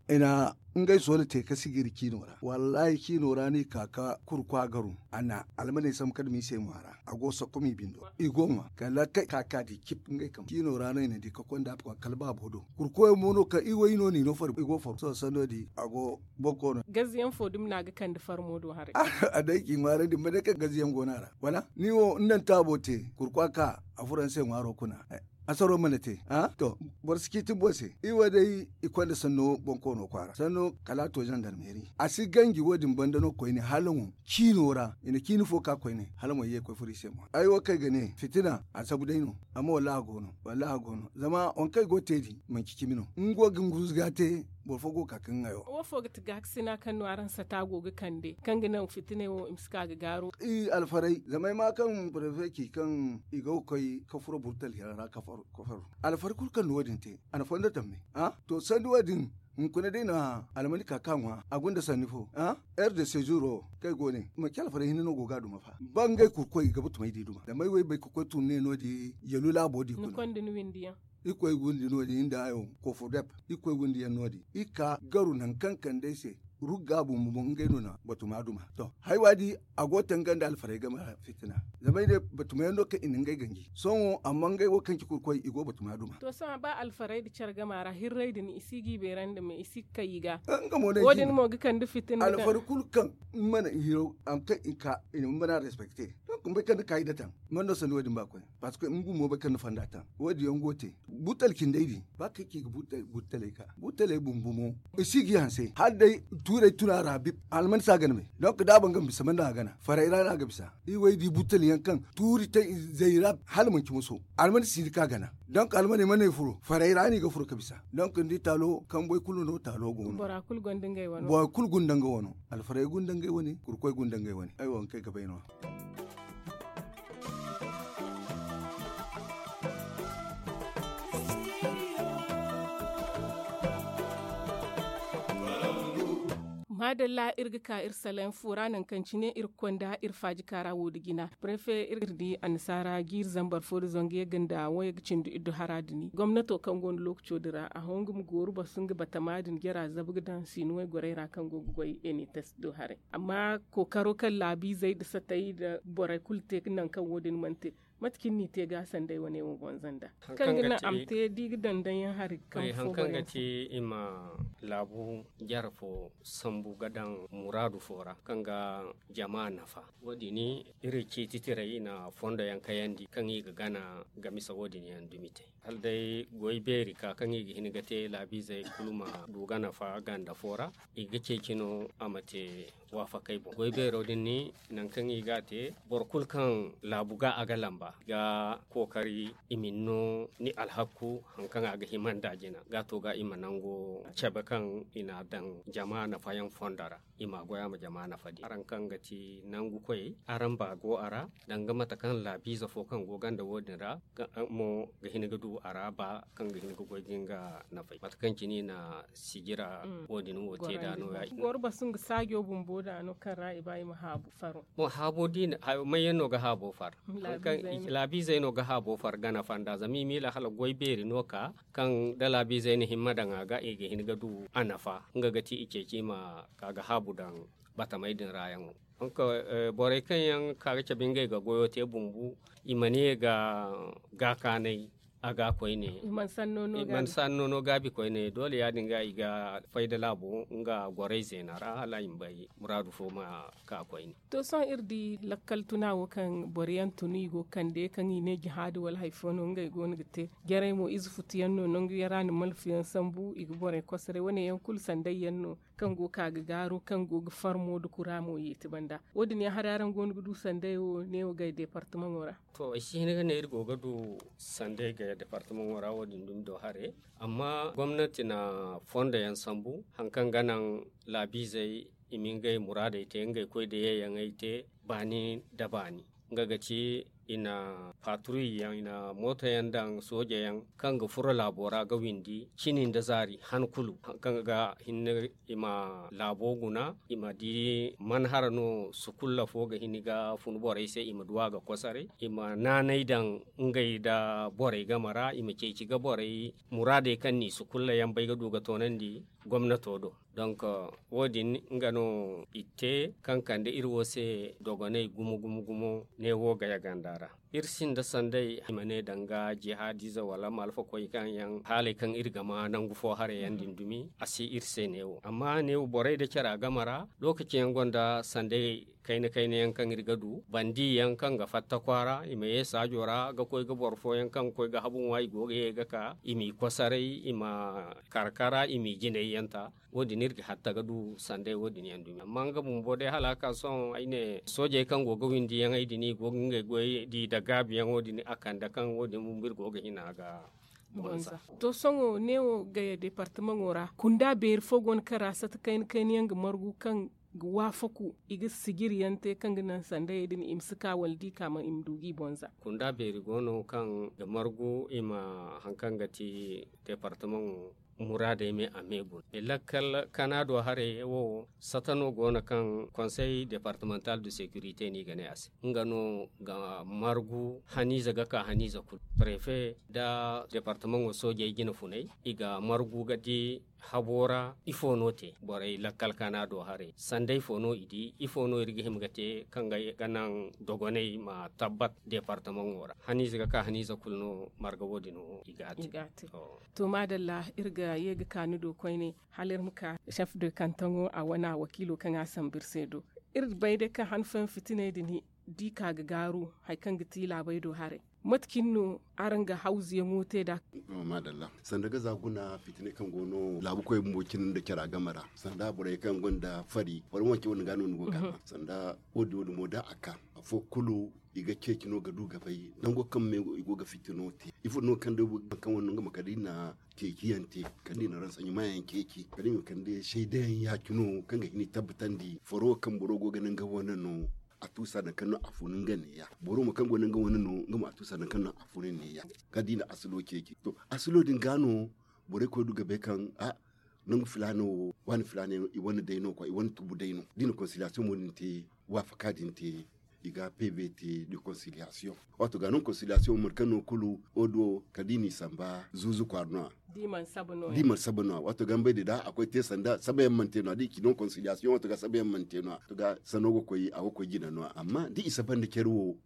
i na ngey soola te ka sigiri ciino ra wallahi ciino ra no i ka ka kurkwa garu a na almaney sambu ka dumi i se ŋwaara. A go sokkom i bindo i go ŋwa kala kay ka ka di cip ngey kambe ciino ra no i na di ka konda kala baabo do. Kurkoyaŋ mo no kaŋ i wo i no no i no fari i go faro sohõ sanno di a go boro koono. Gaziyaŋ fo dumi no a ga kande farmo do haray. A day k'i ŋwaarandi ma ne kaŋ gaziyaŋ go no a ra wala ni wo ni naŋ taabo te kurkwa ka a furo ni se ŋwaaro kuna. Asaro mana te to boro si ciiti boro se i wo day i konda sanno boŋ koono kwaara sanno kala a to zandarmeeri a si ganji wo- din banda no koyne hala mo ciino ra i na ciini fo ka koyne hala mo ye ga koy furo i se mo ay wo kaŋ ay ga ne fitina a zabu day no. Amma wallahi a go no wallahi a go no zama waŋ kaŋ i go ga te din manci cimi no nga wo ga nga ruuzu ga te. boro fo go ga ka kaŋ ŋayo. Wo fo ga ti gaakasina kaŋ no araŋ sata go ga kande kaŋ ga naŋ fitinay wo i ma si ka ga gaaru? I alfaray zama ay ma kaŋ prefe ci kaŋ i go ga koy ka furo burtal yaŋ ra ka faru. Alfaray kulu kaŋ na wo- din te a na fondo tamme. To sanda wo- din hunkuna day no a almani ka ka ŋwa a gunda sanni fo. Heure de sejour wo kaŋ ay go ne manci alfaray hinne no go ga a duma fa ba ngey kurkoy i ga batumay di duma zama ay wo ay bay ka koy tun ne no- din yalu laabo di kuna. Iri koy windi no- din nda hayo kofodep iri koy windi yaŋ no- din iri ka garu nangu kaŋ kande ay se. Rugga bumbo mo ngey no na batuma duma to haiwa di a go ga tanganda alfaray game ra fitina. Zama ay ne batuma yaŋ no kaŋ i na ngey ganji sohõ amma ngey wo kaŋ ci kurkoy i go batuma duma. To sohõ ba alfaray nda care game ra hirray din i si ga i beerandi me i si ga kay i ga. Nga mo no ay ci ne wo- din mo ga kande fitina alfaray kulu kaŋ mana hiro a ma kaŋ i ka i na ma mana respecte. Donk ma bay kaŋ ni ka i datan man no sanda wo- din ba koy. Parceque nga bumbo bay kaŋ ni fonda taŋ wo- din yaŋ go ga te. Butal cindey din ba kaŋ ci ga butaley ka butaley bumbo mo i si ga i hanse hala day tuurey tuna ra bip. Alman si a gana me donk da a ban ga ma bisa man no a gana faray ra no a ga bisa. Iri wo ay di butal yaŋ kaŋ tuuri te izey ra hala manci muso alman si ni ka gana. Donk almaney mana ay furo faray ra no i ga furo ga bisa. Donk ni di taalo kamboy kulu no taalo go no. Bora kulu gonda ngey wano alfaray gonda ngey wane kurkoy gonda ngey wane ay wo haŋ kaŋ ay ga bay no- ya. Maadalla iri ga ka iri salayaŋ fo ra nangu kaŋ cine iri ga konda iri faaji kaara wo nda jina prefe iri di annasaara jiiri zambar fo nda zangu yagga nda wayga cindi iddu hara din gomnato kaŋ go nda lookaco din ra a hõ nga ma gooru basu nga batama din jara zabu ga daŋ siino waygoray ra kaŋ go ga goy enites do haray. Amma kookaro kaŋ laabiizey nda satey nda borey kulu te nangu kaŋ wo- din mana te. Mate cine no i te ga sanday wane wo bonza nda kaŋ ga naŋ a ma te da i ga daŋ daŋ yaŋ hari ga kambe fo borey yaŋ fo. Hay haŋ kaŋ ga ti i ma laabu jare fo sambu ga daŋ muraadu fo ra kaŋ ga jama nafa. Wo- din iri ciiti tirey i na fondo yaŋ kayandi kaŋ i ga gana ga misa wo- din yaŋ dumi te hala day goy beeri ka kaŋ i ga hin ga te laabiizey kulu ma du ga nafa ganda fo ra. I ga ceeci no a ma te waafakey boŋ goy beero din ni nangu kaŋ i ga a te boro kulu kaŋ laabu ga a ga lamba ga kookari i ma ni no ni alhakku haŋ kaŋ a ga hima nda jina ga to ga i ma nango cabe kaŋ i na a daŋ jama nafayaŋ fondo ra. I ma a goy a ma jama nafa di araŋ kaŋ ga ti nangu koyey araŋ ba go a ra danga mate kaŋ laabiize fo kaŋ go ganda wo- din ra mo ga hin ga du a ra ba kaŋ ga hin ga goy ga nga nafay mate kaŋ cine i na sijira wo- din wo te da no ya. Goro basu nga saajo bumbo da no kaŋ ra i ba i ma haabu faro. Mo haabo di may yaŋ no ga haabo far? Laabiizey no ga haabo far gana fanda zama i miila hala goy beeri no ka kaŋ da laabiizey na himma daŋ a ga i ga hin ga du a nafa nga ga ti i ceeci i ma ka ga haabu daŋ batamey din ra yaŋo. Borey kaŋ yaŋ ka ga cabe ngey ga goyo te bumbu i ma ne ga gaakaanay a ga koyne i mana sanno no gaabi koyne doole ya- din ga i ga fay da laabo nga gorey zeena ra hala i ma bay muraadu fo ma ka koyne. To sohõ iri di lakkal tuna wo kaŋ boro yaŋ tun i go ga kande kaŋ i ne jihaadi wala hari fo no ngey go no ga te jarey mo ize futu yaŋ no nangu yaŋ ra na malfu yaŋ sambu i ga borey kosarey wane yaŋ kulu sanday yaŋ no kaŋ go ga ka ga gaaru kaŋ go ga farmo nda kura mo yeeti banda. Wo- din yaŋ hari araŋ go no ga du sanday wo neewo gay deepartamaŋo ra? To ay si hin ga ne iri go ga du sanday gay deepartamaŋo ra wo- din dumi do hare. Amma gomnati na fondo yaŋ sambu hari kaŋ ga naŋ laabiizey i ma ngey muraadey te ngey koy da yeeyaŋey te baani nda baani. Nga ga ti i na paatruy yaŋ i na mooto yaŋ daŋ sooje yaŋ kaŋ ga furo laabo ra ga windi cini nda zaari han kulu kaŋ ga hinne i ma laabo guna i ma di man hara no sukulla fo ga hin ga fun borey se i ma du a ga kosaray i ma naanay daŋ ngey nda borey game ra i ma ceeci ga borey muraadey kaŋ no i sukulla yaŋ bay ga du ga toonandi gomnato do. Donk wo- din nga no i te kaŋ kande iri wo se dogonay gumo gumo gumo ne wo gaya ganda ra. Iri sinda sanday i ma ne danga jihaadize wala malfakoy kaŋ yaŋ haalay kaŋ iri ga ma nangu fo haray yaŋ din dumi a si iri se ne wo amma ne wo borey da cara game ra lokaci yaŋ gonda sanday kayna kayna yaŋ kaŋ iri ga du bandi yaŋ kaŋ ga fatta kwaara i ma ye saajo ra ga koy ga boro fo yaŋ kaŋ ga koy ga habu ŋwa i go ga ye ga ka i m'i kosaray i ma karkara i m'i jinay yaŋ ta. Wo- din iri ga hatta ga du sanday wo- din yaŋ dumi amma nga bumbo day hala a ka sohõ ay ne soojey kaŋ go ga windi yaŋ ay din i go ga ngey goy di nda gaabi yaŋo din a kande kaŋ wo- din bumbo iri go ga hina ga To sohõ neewo gaya departamaŋo ra kunda beeri fo go no kaŋ ra sata kayna kayna yaŋ ga margu kaŋ ga waafaku i ga sijiri yaŋ te kaŋ ga naŋ sandayey din i ma si ka wala da i ka i ma du ga i boŋ za. Kunda beeri go no kaŋ ga margu i ma hari kaŋ ga ti departamaŋo muraadey me a me guna i lakkal kanaado haray wo sata no go no kaŋ konsey departamental de securite no i ga ne a se nga no ga margu haniize ga ka haniize kulu prefe nda departamaŋo soojey jina funay i ga margu ga di habo ra ifo no te borey lakkal kanaado haray sanday fo no i di ifo no iri ga hima ga te kaŋ ga naŋ dogoney ma tabbat departamaŋo ra haniize ga ka haniize kulu no marga wo- din wo i ga a te. To maadalla iri ga ye ga ka ni do koyne hala iri ma ka chef de kantaŋo a wane a wakiilo kaŋ a sambu iri se do. Iri bay day kaŋ han fooyaŋ fitiney din da i ka ga gaaru hari kaŋ ga ti laabey do haray mate cine no araŋ ga hawzuyaŋo te nd'a? Maadalla sanda ga za guna fitiney kaŋ go no laabu koy bumbo cine nda cara game ra sanda borey kaŋ gonda fari wala manci wane ga no ni go ga a ma sanda wo- din wo- din mo da a ka afo kulu i ga ceeci no ga du ga bay nango kaŋ me i go ga fitino te ifo no kaŋ day boro kaŋ wane no nga ma kala i na ceeciyaŋ te kala i na ransaɲumayaŋ ceeci kala i ma kande saydayaŋ ya- cine kaŋ ga hin i tabbatandi faro kaŋ boro go ga naŋ ga wane no a tuusa nangu kaŋ no a funu nga neeya boro mo kaŋ go naŋ ga wane no nga mo a tuusa nangu kaŋ no a funu neeya kala da i na asilo ceeci to asilo din ga no borey koy du ga bay kaŋ a nangu filaana wo waani filaana yaŋ i wane day no kwa i wane tubu day no da i na konsiliyasiyoŋ mo din te waafaka din te i ga pv te de konsiliyasiyoŋ waato ga no konsiliyasiyoŋ mate kaŋ no kulu wo- din wo kala da i n'i samba zuuzu kwaara no- ya da i mana saba no- ya waato ga ni bay day da a koy te sanda saba yaŋ mana te no- ya da i ci no konsiliyasiyoŋ waato ga saba yaŋ mana te no- ya waato ga sanno ga koy a ga koy jina no- ya amma da i saba nda care wo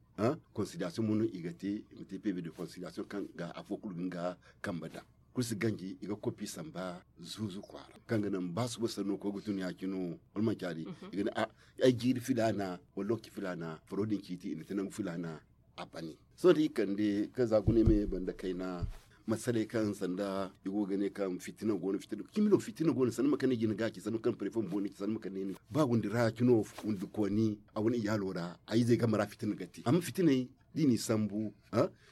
konsiliyasiyoŋ mo no i ga te i ma te pv de konsiliyasiyoŋ kaŋ ga afo kulu ga nga kambe daŋ kulu si ganji i ga kopi samba zuuzu kwaara kaŋ ga naŋ ba suba sanno koy ga tun ya- cine wala manci a di i ga ne a ay jiiri filaana wala lookaci filaana faro din ciiti i na te nangu filaana a bani sohõ da i kande kaŋ za guna ay ma ye banda kayna masaley kaŋ sanda i go ga ne kaŋ fitina go no fitina cimi no fitina go no sanda ma kande jina ga ci sanda ma kande prefe ma booni ci sanda ma kande ni ba windi ra ya- cine windi kooni a wane iyaalo ra a izey game ra fitina ga te amma fitiney da i n'i sambu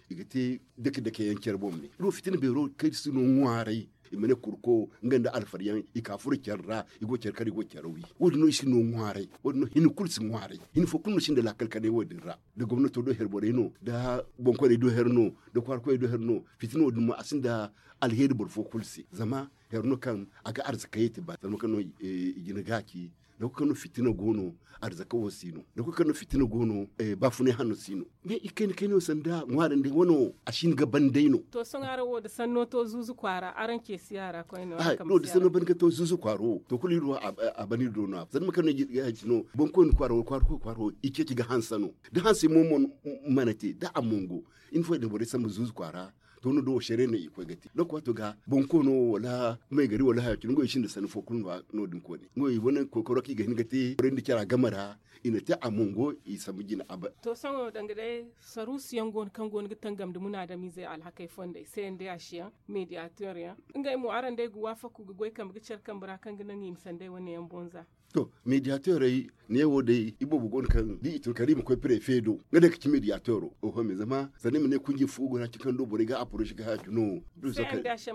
i ga te dake dake yaŋ care boŋ me iri wo fitina beero kaŋ iri si no ŋwaaray i ma ne kurko nga nda alfariyaŋ i ka furo care ra i go care kar i go care wi wo- din no i si no ŋwaaray wo- din no hina kulu si ŋwaaray hina fo kulu no sinda laakal kanay wo- din ra da gomnato do her borey no da boŋkoyney do her no da kwaara koyney do her no fitina wo- din mo a sinda alheeri boro fo kulu se zama her no kaŋ a ga arzakayey te ba zama kaŋ no i jina ga ci da kulu kaŋ no fitina go no arzaka wo si no da kulu kaŋ no fitina go no baafunay hanno si no mais i kayna kayna wo sanda ŋwaarandi wano a si hin ga ban day no. To sohõ araŋ wo da sanno to zuuzu kwaara araŋ ce si a ra koyne wo da sanno ban ga to zuuzu kwaaro to kulu iri wo a ban iri do no a zama kaŋ no i ga hay cino boŋ koyne kwaaro wala kwaara koy kwaaro i ceeci ga hanse no da hanse mo mana te da a mongo iri fooyaŋ din borey sambu zuuzu kwaara to no do wo sere no i koy ga te donc waato ga boŋ koyno wala may gari wala haya cine ngo i sinda sanni fo kulu no- din koyne ngo i wane koykaro kaŋ i ga hin ga te borey nda cara game ra i na te a mongo i sambu jina abada. To sohõ danga day saruusu yaŋ go no kaŋ go no ga tangam nda munaadamiizey alhakey fondey se nda yaasi yaŋ mediyator yaŋ ngey mo araŋ day ga waafaku ga goy kambe ga care kambe ra kaŋ ga naŋ i ma sanday wane yaŋ boŋ za. To mediyatorey neewo day iboobo go no kaŋ da i tun kala i ma koy prefe do nga day ga ci mediyatoro oho me zama sanda i ma ne kunje fu go no a ci kaŋ do borey ga aporosi ga haya cine no.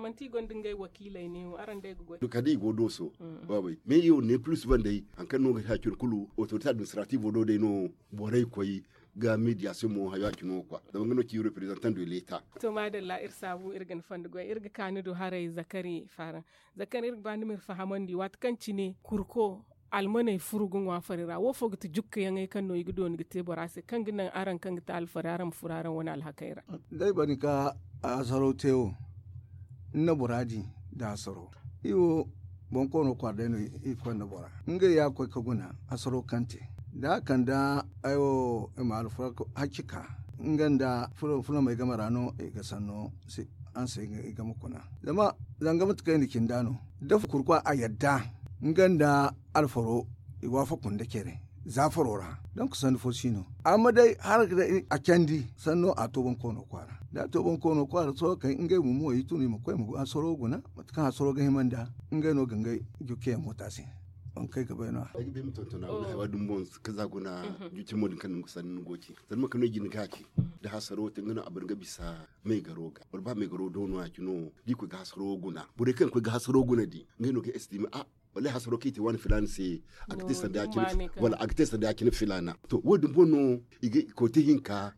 Manti i gonda ngey wakiiley neewo araŋ day ga goy. Kala da i go dooso. Waabey mais i wo ne plus ban day hari kaŋ no ga haya cine kulu otorite administrativo do day no borey koy ga mediation mo hayo a cine wo kwa zama nga no ci representant de leta. To maadalla iri saabu iri ga ni fondo goy iri ga ka ni do haray zakari faaraŋ. Zakari iri ga ba ni ma iri fahamandi waati kaŋ cine kurko almaney furu ga ŋwa fari ra wo fo ga ti jukkayaŋey kaŋ no i ga dooni ga te bora se kaŋ ga naŋ araŋ kaŋ ga ti alfari araŋ ma furo araŋ wane alhakey ra. Day bari ka asaro te wo ni na bora di nda asaro iri wo boŋ koono kwaara day no iri koy nda bora ngey ya ga koy ga guna asaro kaŋ te da a kande ay wo i ma alfaro hacci ka nga nda fulamey game ra no i ga sanno hanse i game kuna zama zanga mate kaŋ i na cinda no da kurkwa a yadda nga nda alfaro i waafaku nda care za faro ra donk sanni fo si no amma day hala ga day a candi sanno a to boŋ koono kwaara da a to boŋ koono kwaara sohõ kay ngey bumbo i tun i ma koy ma asaro guna mate kaŋ asaro ga hima nda ngey no ga ngey jukkeyaŋ moota se. Ay ga bay ma tontona wala haya dumbo ka za guna. Jucin mo din kaŋ ni go ga sanni ni go ga ci zama kano jin ga ci da hasaro te nga no a ban ga bisa maigaro ga wala ba maigaro do no ya ci no da i koy ga hasaro guna borey kaŋ koy ga hasaro guna di nga no ga estimé a wala hasaro kaŋ i te waani filaana se a ga te sanda ya cine filaana. To wo- din boŋ no i ga koy te hinka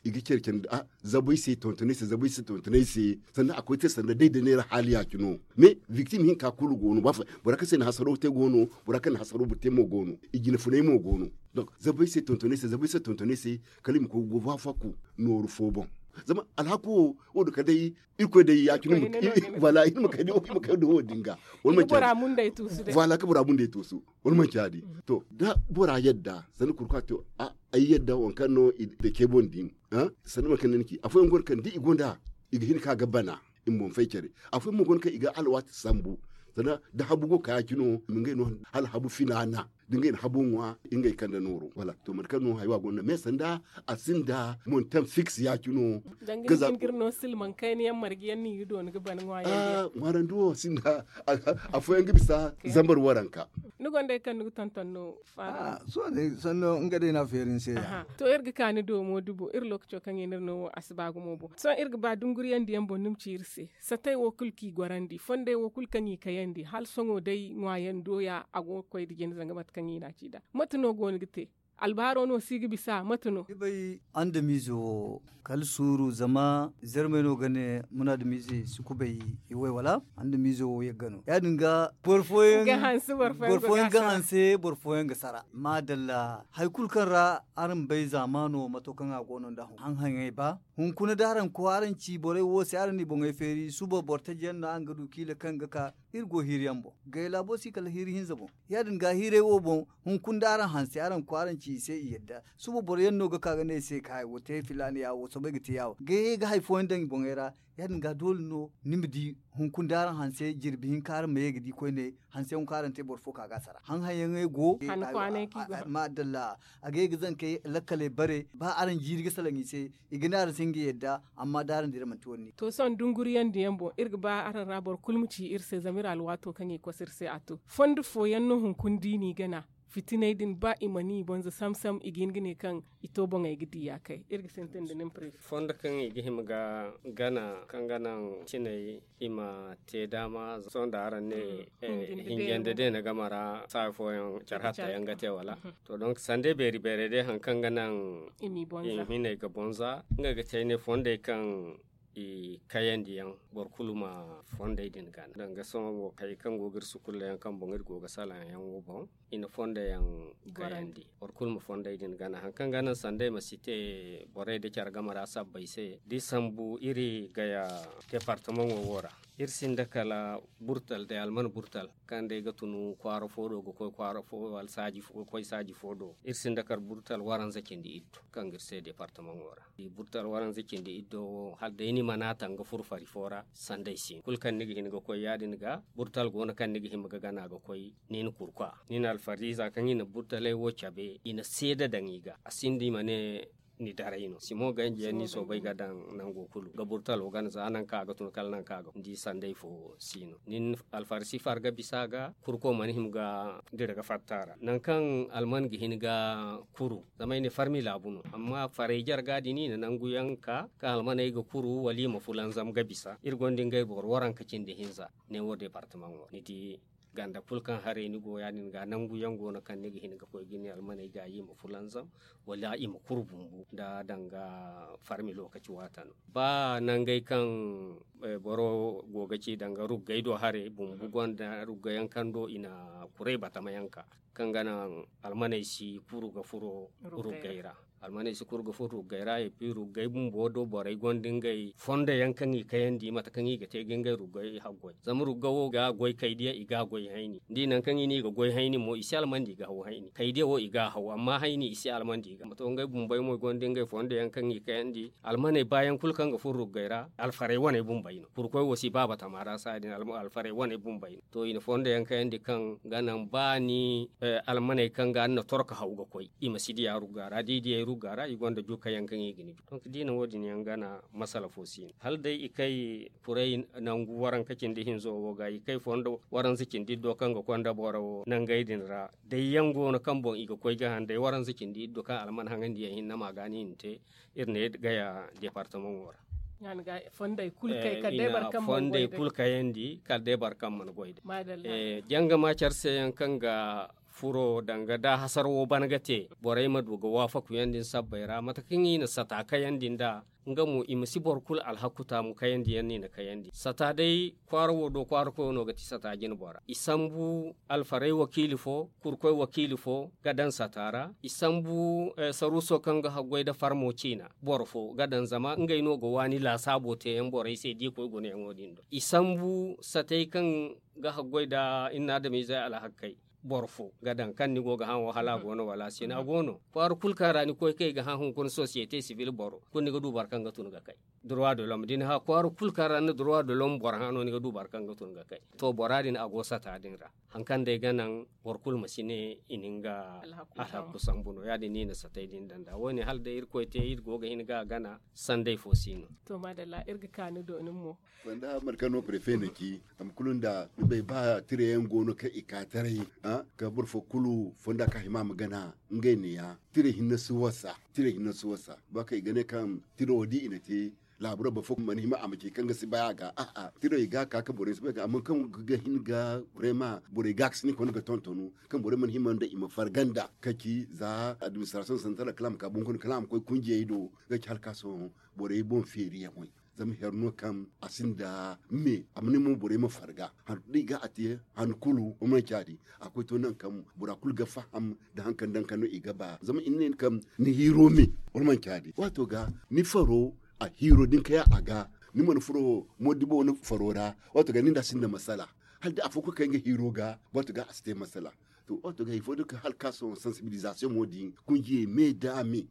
i ga care care da zabay se tontonay se zabay se tontonay se sanda a koy te sanda day da neera haali ya cine no. Mais victim hinka kulu go no bora kaŋ se na hasaro te go no bora kaŋ na hasaro boro te mo go no i jina funay mo go no. Donc zabay se tontonay se zabay se tontonay se kala i ma koy ga go ba faku nooru fo boŋ. Zama alhaku wo wo- din kala day irkoy day ya cine. Wala i ma kay da wo- din ga wala manci ya- din. Wala ka bora mundey tuusu wala manci ya- din. To da bora yadda sanda kurka to ay yadda wankaŋ no i dake boŋ din. Sanda mankaŋ ni ci afooyaŋ go no kaŋ da i gonda i ga hin ka ga bana i ma boŋ fay care. Afooyaŋ mo go no kaŋ i ga alwaati sambu sanda da habu go ka ya cine no i ma ngey no hala habu finaana da ngey na habo ŋwa ngey kande nooro wala to mate kaŋ no haywa gonda me sanda a sinda montaŋ fiks ya cino. Ga za ga ir no silmaŋ kayna yaŋ marga yaŋ no i ga doona ga ban ŋwa yaŋ ŋwaarandi wo sinda. Afooyaŋ ga bisa zambar waranka. Ni gonda ay kaŋ ni ga tonton no faara. Sohõ day sanno nga day no a feeri ni se ya. To ir ga ka ni do mo dubo ir lookaco kaŋ i na ir no wo a si ba gumo boŋ sohõ ir ga ba dunguriyaŋ diyaŋ boŋ ni ma ci ir se. Satey wo kulu kaŋ i gorandi fondey wo kulu kaŋ i kayandi hala sohõ day ŋwaayaŋ doya a go ga koy nda jina zanga mate kaŋ i n'a ci nd'a mate no go no ga te? Albaaro no si ga bisa mate no? Ni bay andamiize wo kala suuru zama zarmey no ga ne munadamiize si kubay iway wala andamiize wo yagga no ya- din ga boro fooyaŋ ga hanse boro fooyaŋ ga sara maadalla hari kulu kaŋ ra araŋ bay zaamaano mato kaŋ a go no nda haŋ haŋ haŋey ba hunkuna da araŋ koy araŋ ci borey wo se araŋ n'i boŋey feeri suba boro taji yaŋ no araŋ ga du kiila kaŋ ga ka iri go hiiri yaŋ boŋ gay laabo si kala hiiri hinza boŋ ya- din ga hiirey wo boŋ hunkuna da araŋ hanse araŋ koy araŋ ci i se i yadda suba boro yaŋ no ga ka ga ne i se ka hari wo te filaana ya wo soobay ga te ya wo gay ga hari fooyaŋ daŋ i boŋey ra ya- din ga doole no ni ma di hunkuna da araŋ hanse jirbi hinka araŋ ma ye ga di koyne hanse hunkuna araŋ te boro fo ka ga a sara haŋ haŋ yaŋey go. Maadalla a ga ye ga zankey lakkaley bare ba araŋ jiiri ga salaŋ i se i ga ne araŋ se nga yadda amma da araŋ dira manti wani ne. To sohõ dunguriyaŋ diyaŋ boŋ iri ga ba araŋ ra boro kulu ma ci iri se zama iri alwaato kaŋ i koso iri se a to fondo fooyaŋ no hunkuna da i n'i gana fitinay din ba i mana i boŋ za sam sam i ga hin ga ne kaŋ i to boŋey ga di ya kay iri ga sintin da nin prefe. Fondo kaŋ i ga hima ga gana kaŋ ga naŋ cinay i ma te daama sohõ da araŋ ne hinjande day na gama ra saayo fooyaŋ care hatta yaŋ ga te wala? To donk sanda beeri beeray day haŋ kaŋ ga naŋ i ma i boŋ za hinay ga boŋ za nga ga te ay ne fondey kaŋ i kayandi yaŋ boro kulu ma fondey din gana danga sohõ wo kay kaŋ go ga iri sukulla yaŋ kaŋ boŋ iri go ga salaŋ yaŋ wo boŋ i na fondey yaŋ kayandi boro kulu ma fondey din gana haŋ kaŋ ga naŋ sandey ma si te borey da care game ra sabbay se da i sambu iri gaya departamaŋo wo ra iri sinda kala burtal day alman burtal kaŋ day ga tun kwaara fo do ga koy kwaara fo wala saaji fo ga koy saaji fo do iri sinda kala burtal waranza cindi iddu kaŋ ga iri se departamaŋo ra burtal waranza cindi iddo wo hala day ni mana taŋ ga furo fari fo ra sanday si no kulu kaŋ ni ga hin ga koy ya- din ga burtal go no kaŋ ni ga hima ga gana ga koy ni na kurkwa ni na alfariza kaŋ i na burtaley wo cabe i na seeda daŋ i ga a sinda i ma ne ni daray no simo ganji yaŋ ni soobay ga daŋ nango kulu ga burtalo gana za nanka a ga tun kala nanka a ga tun di sanday fo si no nin alfarsi farga bisa ga kurko mana hima ga dira ga fatta ra nankaŋ alman ga hin ga kuru zama ay ne farmi laabu no amma faray jarga din i na nangu yaŋ ka kaŋ almaney ga kuru wala i ma fulanzam ga bisa iri gonda ngey boro waranka cindi hinza ne wo departamaŋo ni di ganda kulu kaŋ haray ni go ya- din ga nangu yaŋ go no kaŋ ni ga hin ga koy ga ne almaney ga i ma fulanzam wala i ma kuru bumbu da danga farmi lokaci waata no ba nangey kaŋ boro go ga ci danga ruggay do haray bumbu gonda ruggayaŋ kaŋ do i na kuray batamayaŋ ka kaŋ ga naŋ almaney si kuru ga furo ruggay ra almaney si kuru ga furo ruggay ra et puis ruggay bumbo do borey gonda ngey fondo yaŋ kaŋ i kayandi mate kaŋ i ga te ga ngey ruggay haggoy zama rugga wo ga goy kaydiya i ga goy hayni da i naŋ kaŋ i ne i ga goy hayni mo i si almandi i ga haw hayni kaydiya wo i ga haw amma hayni i si almandi i ga to ngey bumbey mo gonda ngey fondo yaŋ kaŋ i kayandi almaney bayaŋ kulu kaŋ ga furo ruggay ra alfarey waney bumbey Kurkoy wo si ba batama ra saaya din alfaray wane bumbey no. To i na fondo yaŋ kayandi kaŋ ga naŋ ba ni almaney kaŋ ga ni na torka haw ga koy i ma si diya rugga ra da i diyey rugga ra i gonda juka yaŋ kaŋ i ga ni bi. Donk da i na wo- din yaŋ gana masala fo si no hala day i kay kuray nangu waranka cindi hinzo wo ga i kay fondo waranza cindi iddo kaŋ ga konda boro nangey din ra. Day yaŋ go no kaŋ boŋ i ga koy ga haŋ day waranza cindi iddo kaŋ alman haŋandi yaŋ hinne ma ga no i na te. Iri ne gaya departamaŋo ra. Fondey kulu kay kala day boro kaŋ mana goy day. Janga ma care se yaŋ kaŋ ga furo danga da hasara wo ban ga te borey ma du ga waafaku yaŋ din sabbey ra mate kaŋ i na sata kayandi nd'a. Nga mo i ma si boro kulu alhaku taamu kayandi yaŋ no i na kayandi sata day kwaara wo do kwaara koyo no ga ti sata jine bora i sambu alfarey wakiili fo kurkoy wakiili fo ga daŋ sata ra i sambu saruuso kaŋ ga haggoy nda farmo ciina boro fo ga daŋ zama ngey no ga waani laasaabo te yaŋ borey se da i koy gunayaŋo din do i sambu satey kaŋ ga haggoy nda inna adamizey alhakkey boro fo ga daŋ kaŋ ni go ga hã wo hala a go no wala a si no a go no kwaara kulu kaŋ ra ni koy kaŋ i ga hã hunkuna sosiyete sibil boro kulu ni ga du boro kaŋ ga tun ga kay. Durwa da lom da ni hã kwaara kulu kaŋ ra ni na durwa da lom boro hã no ni ga du boro kaŋ ga tun ga kay. To bora din a go sata din ra haŋ kaŋ day ga naŋ boro kulu ma si ne i na nga alhakku sambu no ya- din no i na satay din daŋ nd'a wo- ne hala day irkoy te iri go ga hin ga a gana. Sanday fo si no. To maadalla iri ga ka ni do nin mo. Fonda mate kaŋ no prefe na ci a ma kulu nda ni bay ba tira yaŋ go no kaŋ i ka taray ka boro fo kulu fonda kaŋ a hima a ma gana. Ngey neeya tira hinne si wasa tira hinne si wasa ba kaŋ i ga ne kaŋ tira wo di i na te. Laabura boro fo mana hima a ma ci kaŋ ga si bay a ga a'a tira i ga ka ka borey si bay ga amma kaŋ ga hin ga vraiment borey ga ka si ni kone ga tontonu kaŋ borey mana hima nda i ma farga nda ka ci za administration central kala a ma ka bunkuna kala a ma koy kunjiyey do. Ga ci hala ka sohõ borey boŋ feeriyaŋey zama here no kaŋ a sinda me a ma ne mo borey ma farga handu kulu da i ga a te handu kulu wa manci a di a koy to nangu kaŋ bora kulu ga faham nda haŋ kaŋ daŋ kaŋ no i ga ba zama i na ne ni kaŋ ni hiiro me wa manci a di waato ga ni faro a hiiro da ni kay a ga ni mana furo moodibo ni faro ra waato ga ni nda a sinda masala hala da afo kulu kaŋ ay ga hiiro ga waato ga a si te masala. To waato ga hari fo da kaŋ hala ka sohõ sensibilisation mo din kunjiyey me da me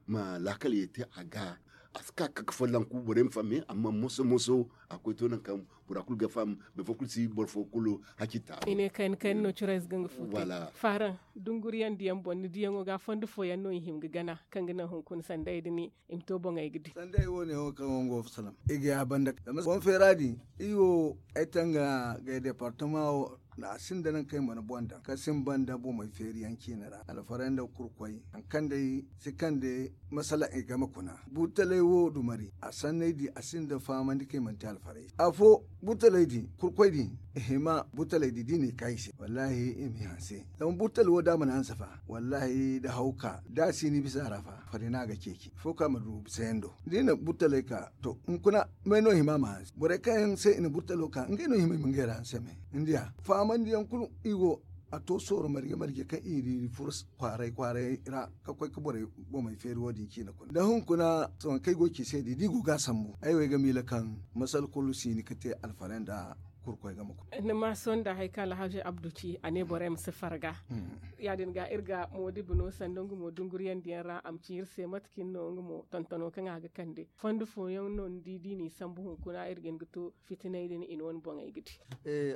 ma laakal ye te a ga a si ka kaka follanku borey ma famme amma moso moso a koy to nangu kaŋ bora kulu ga faham boro fo kulu si boro fo kulu haci taaru. I ne kayna kayna no curayze ga nga fu te. Faran dunguriyaŋ diyaŋ boŋ ni diyaŋo ga fondo fooyaŋ no i hima ga gana kaŋ ga naŋ hunkuna sanda ay da ni i ma to boŋey ga di. Sanda ay wo- ne wo kaŋ wo nga wo ga salaŋ i ga ya banda zama boŋ feera din iri wo ay tanga gay departama wo. A sinda nangu kaŋ ay mana boŋ daŋ kaŋ sinba nda bomey feeriyaŋ ciine ra alfaray nda kurkoy haŋ kaŋ day si kaŋ day masala i game kuna burtalay wo dumari a sanney di a sinda fahamandi kaŋ i mana te alfaray afo burtalay di kurkoy di i hima burtalay di da i na i ka i se wallahi i ma i hanse. Zama burtalay wo da a mana hanse fa wallahi da haw ka da a si ni bisa a ra fa fari no a ga ceeci afo kaŋ a ma du bisayando da i na burtalay ka to hunkuna may no hima ma hanse borey kaŋ yaŋ se i na burtalo ka ngey no hima i ma ngey ra hanse me. Ni diya fahamandiyaŋ kulu i go a to sooro marje marje kaŋ i di furo kwaaray kwaaray ra ka koy ka borey bomey feeri wo- din ciine kulu da hunkuna sohõ kaŋ ay go ga ci se di da i go ga a sambu ay wo ay ga miila kaŋ masal kulu si hin ga te alfaray nda kurkoy game kulu. Ni ma sohõ nda hari kaŋ alhaji abdu ci a ne borey ma si farga. Ya- din ga iri ga moodibo no sanda nga mo dunguriyandiyaŋ ra a ma ci iri se mate cine no nga mo tontono kaŋ a ga kande fondo fooyaŋ no ni di da i n'i sambu hunkuna iri ga hin ga to fitinay din i na wane boŋey ga di.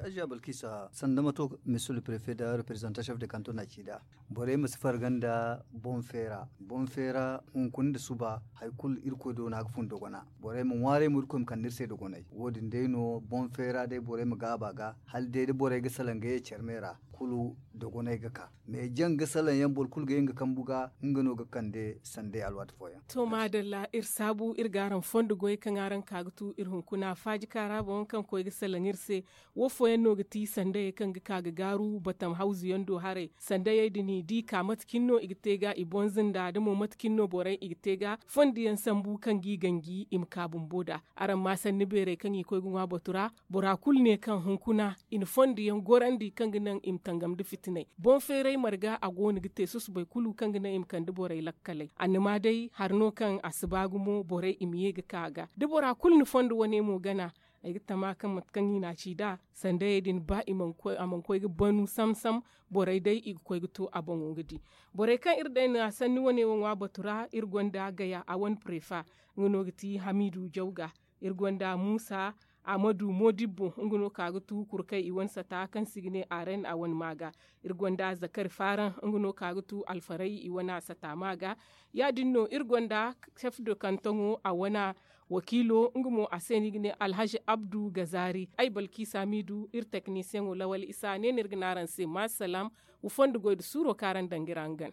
Aziya balkisa sanda mato monsieur le préfet da representant chef de canton na ci nd'a borey ma si farga nda boŋ feera boŋ feera hunkuna nda suba hari kulu irkoy do no a ga fun dogona borey ma ŋwaaray mo irkoy ma kande iri se dogonay wo- din day no boŋ feera day borey ma gaaba ga hala day da borey ga salaŋ ga ye care me ra kulu dogonay ga ka. Mais jaŋ ga salaŋ yaŋ boro kulu ga ye nga kambu ga nga no ga kande sanday alwaati fooyaŋ. To maadalla iri saabu iri ga araŋ fondo goy kaŋ araŋ ka ga tu iri hunkuna faaji kaara boŋ kaŋ koy ga salaŋ iri se. Wo fooyaŋ no ga ti sandayey kaŋ ga ka ga gaaru batam hawzu yaŋ do haray sandayey din i di ka mate cine no i ga te ga i bonza nda da mo mate cine no borey i ga te ga fondo yaŋ sambu kaŋ ga i ganji i ma ka bumbo nd'a. Araŋ ma sanni beerey kaŋ i koy ga ŋwa batu ra bora kulu ne kaŋ hunkuna i na fondo yaŋ gorandi kaŋ ga naŋ i ma tangam nda fitinay. Boŋ feeray marga a go no ga te susubay kulu kaŋ ga naŋ i ma kande borey lakkaley annama day hari no kaŋ a si ba gumo borey i ma ye ga ka a ga da bora kulu na fondo wane mo gana. Ay ga tama kaŋ mate kaŋ i na a ci nd'a sandayey din ba a mana koy ga banu sam-sam. Borey day i ga koy ga to a boŋo ga di borey kaŋ iri day na sanni wane wo ŋwa batu ra iri gonda gaya a wane prefa. Nga no ga ti hamidu jawga iri gonda muusa. Ahmadu modibbo nga no ka ga tu kurkay i wane sata kaŋ se i ga ne aren a wane ma ga. Iri gonda zakari faaraŋ nga no ka ga tu alfaray i wane sata ma ga. Ya- din no iri gonda sef de kantoŋo a wane wakiilo nga mo a se no i ga ne alhazi abdu gazaari ay balkiisa miidu iri teknisiyeŋo lawal isa ne no iri ga ne araŋ se maasalaam. Wa fondo goy nda suuro kaŋ araŋ daŋ ga iri hangan.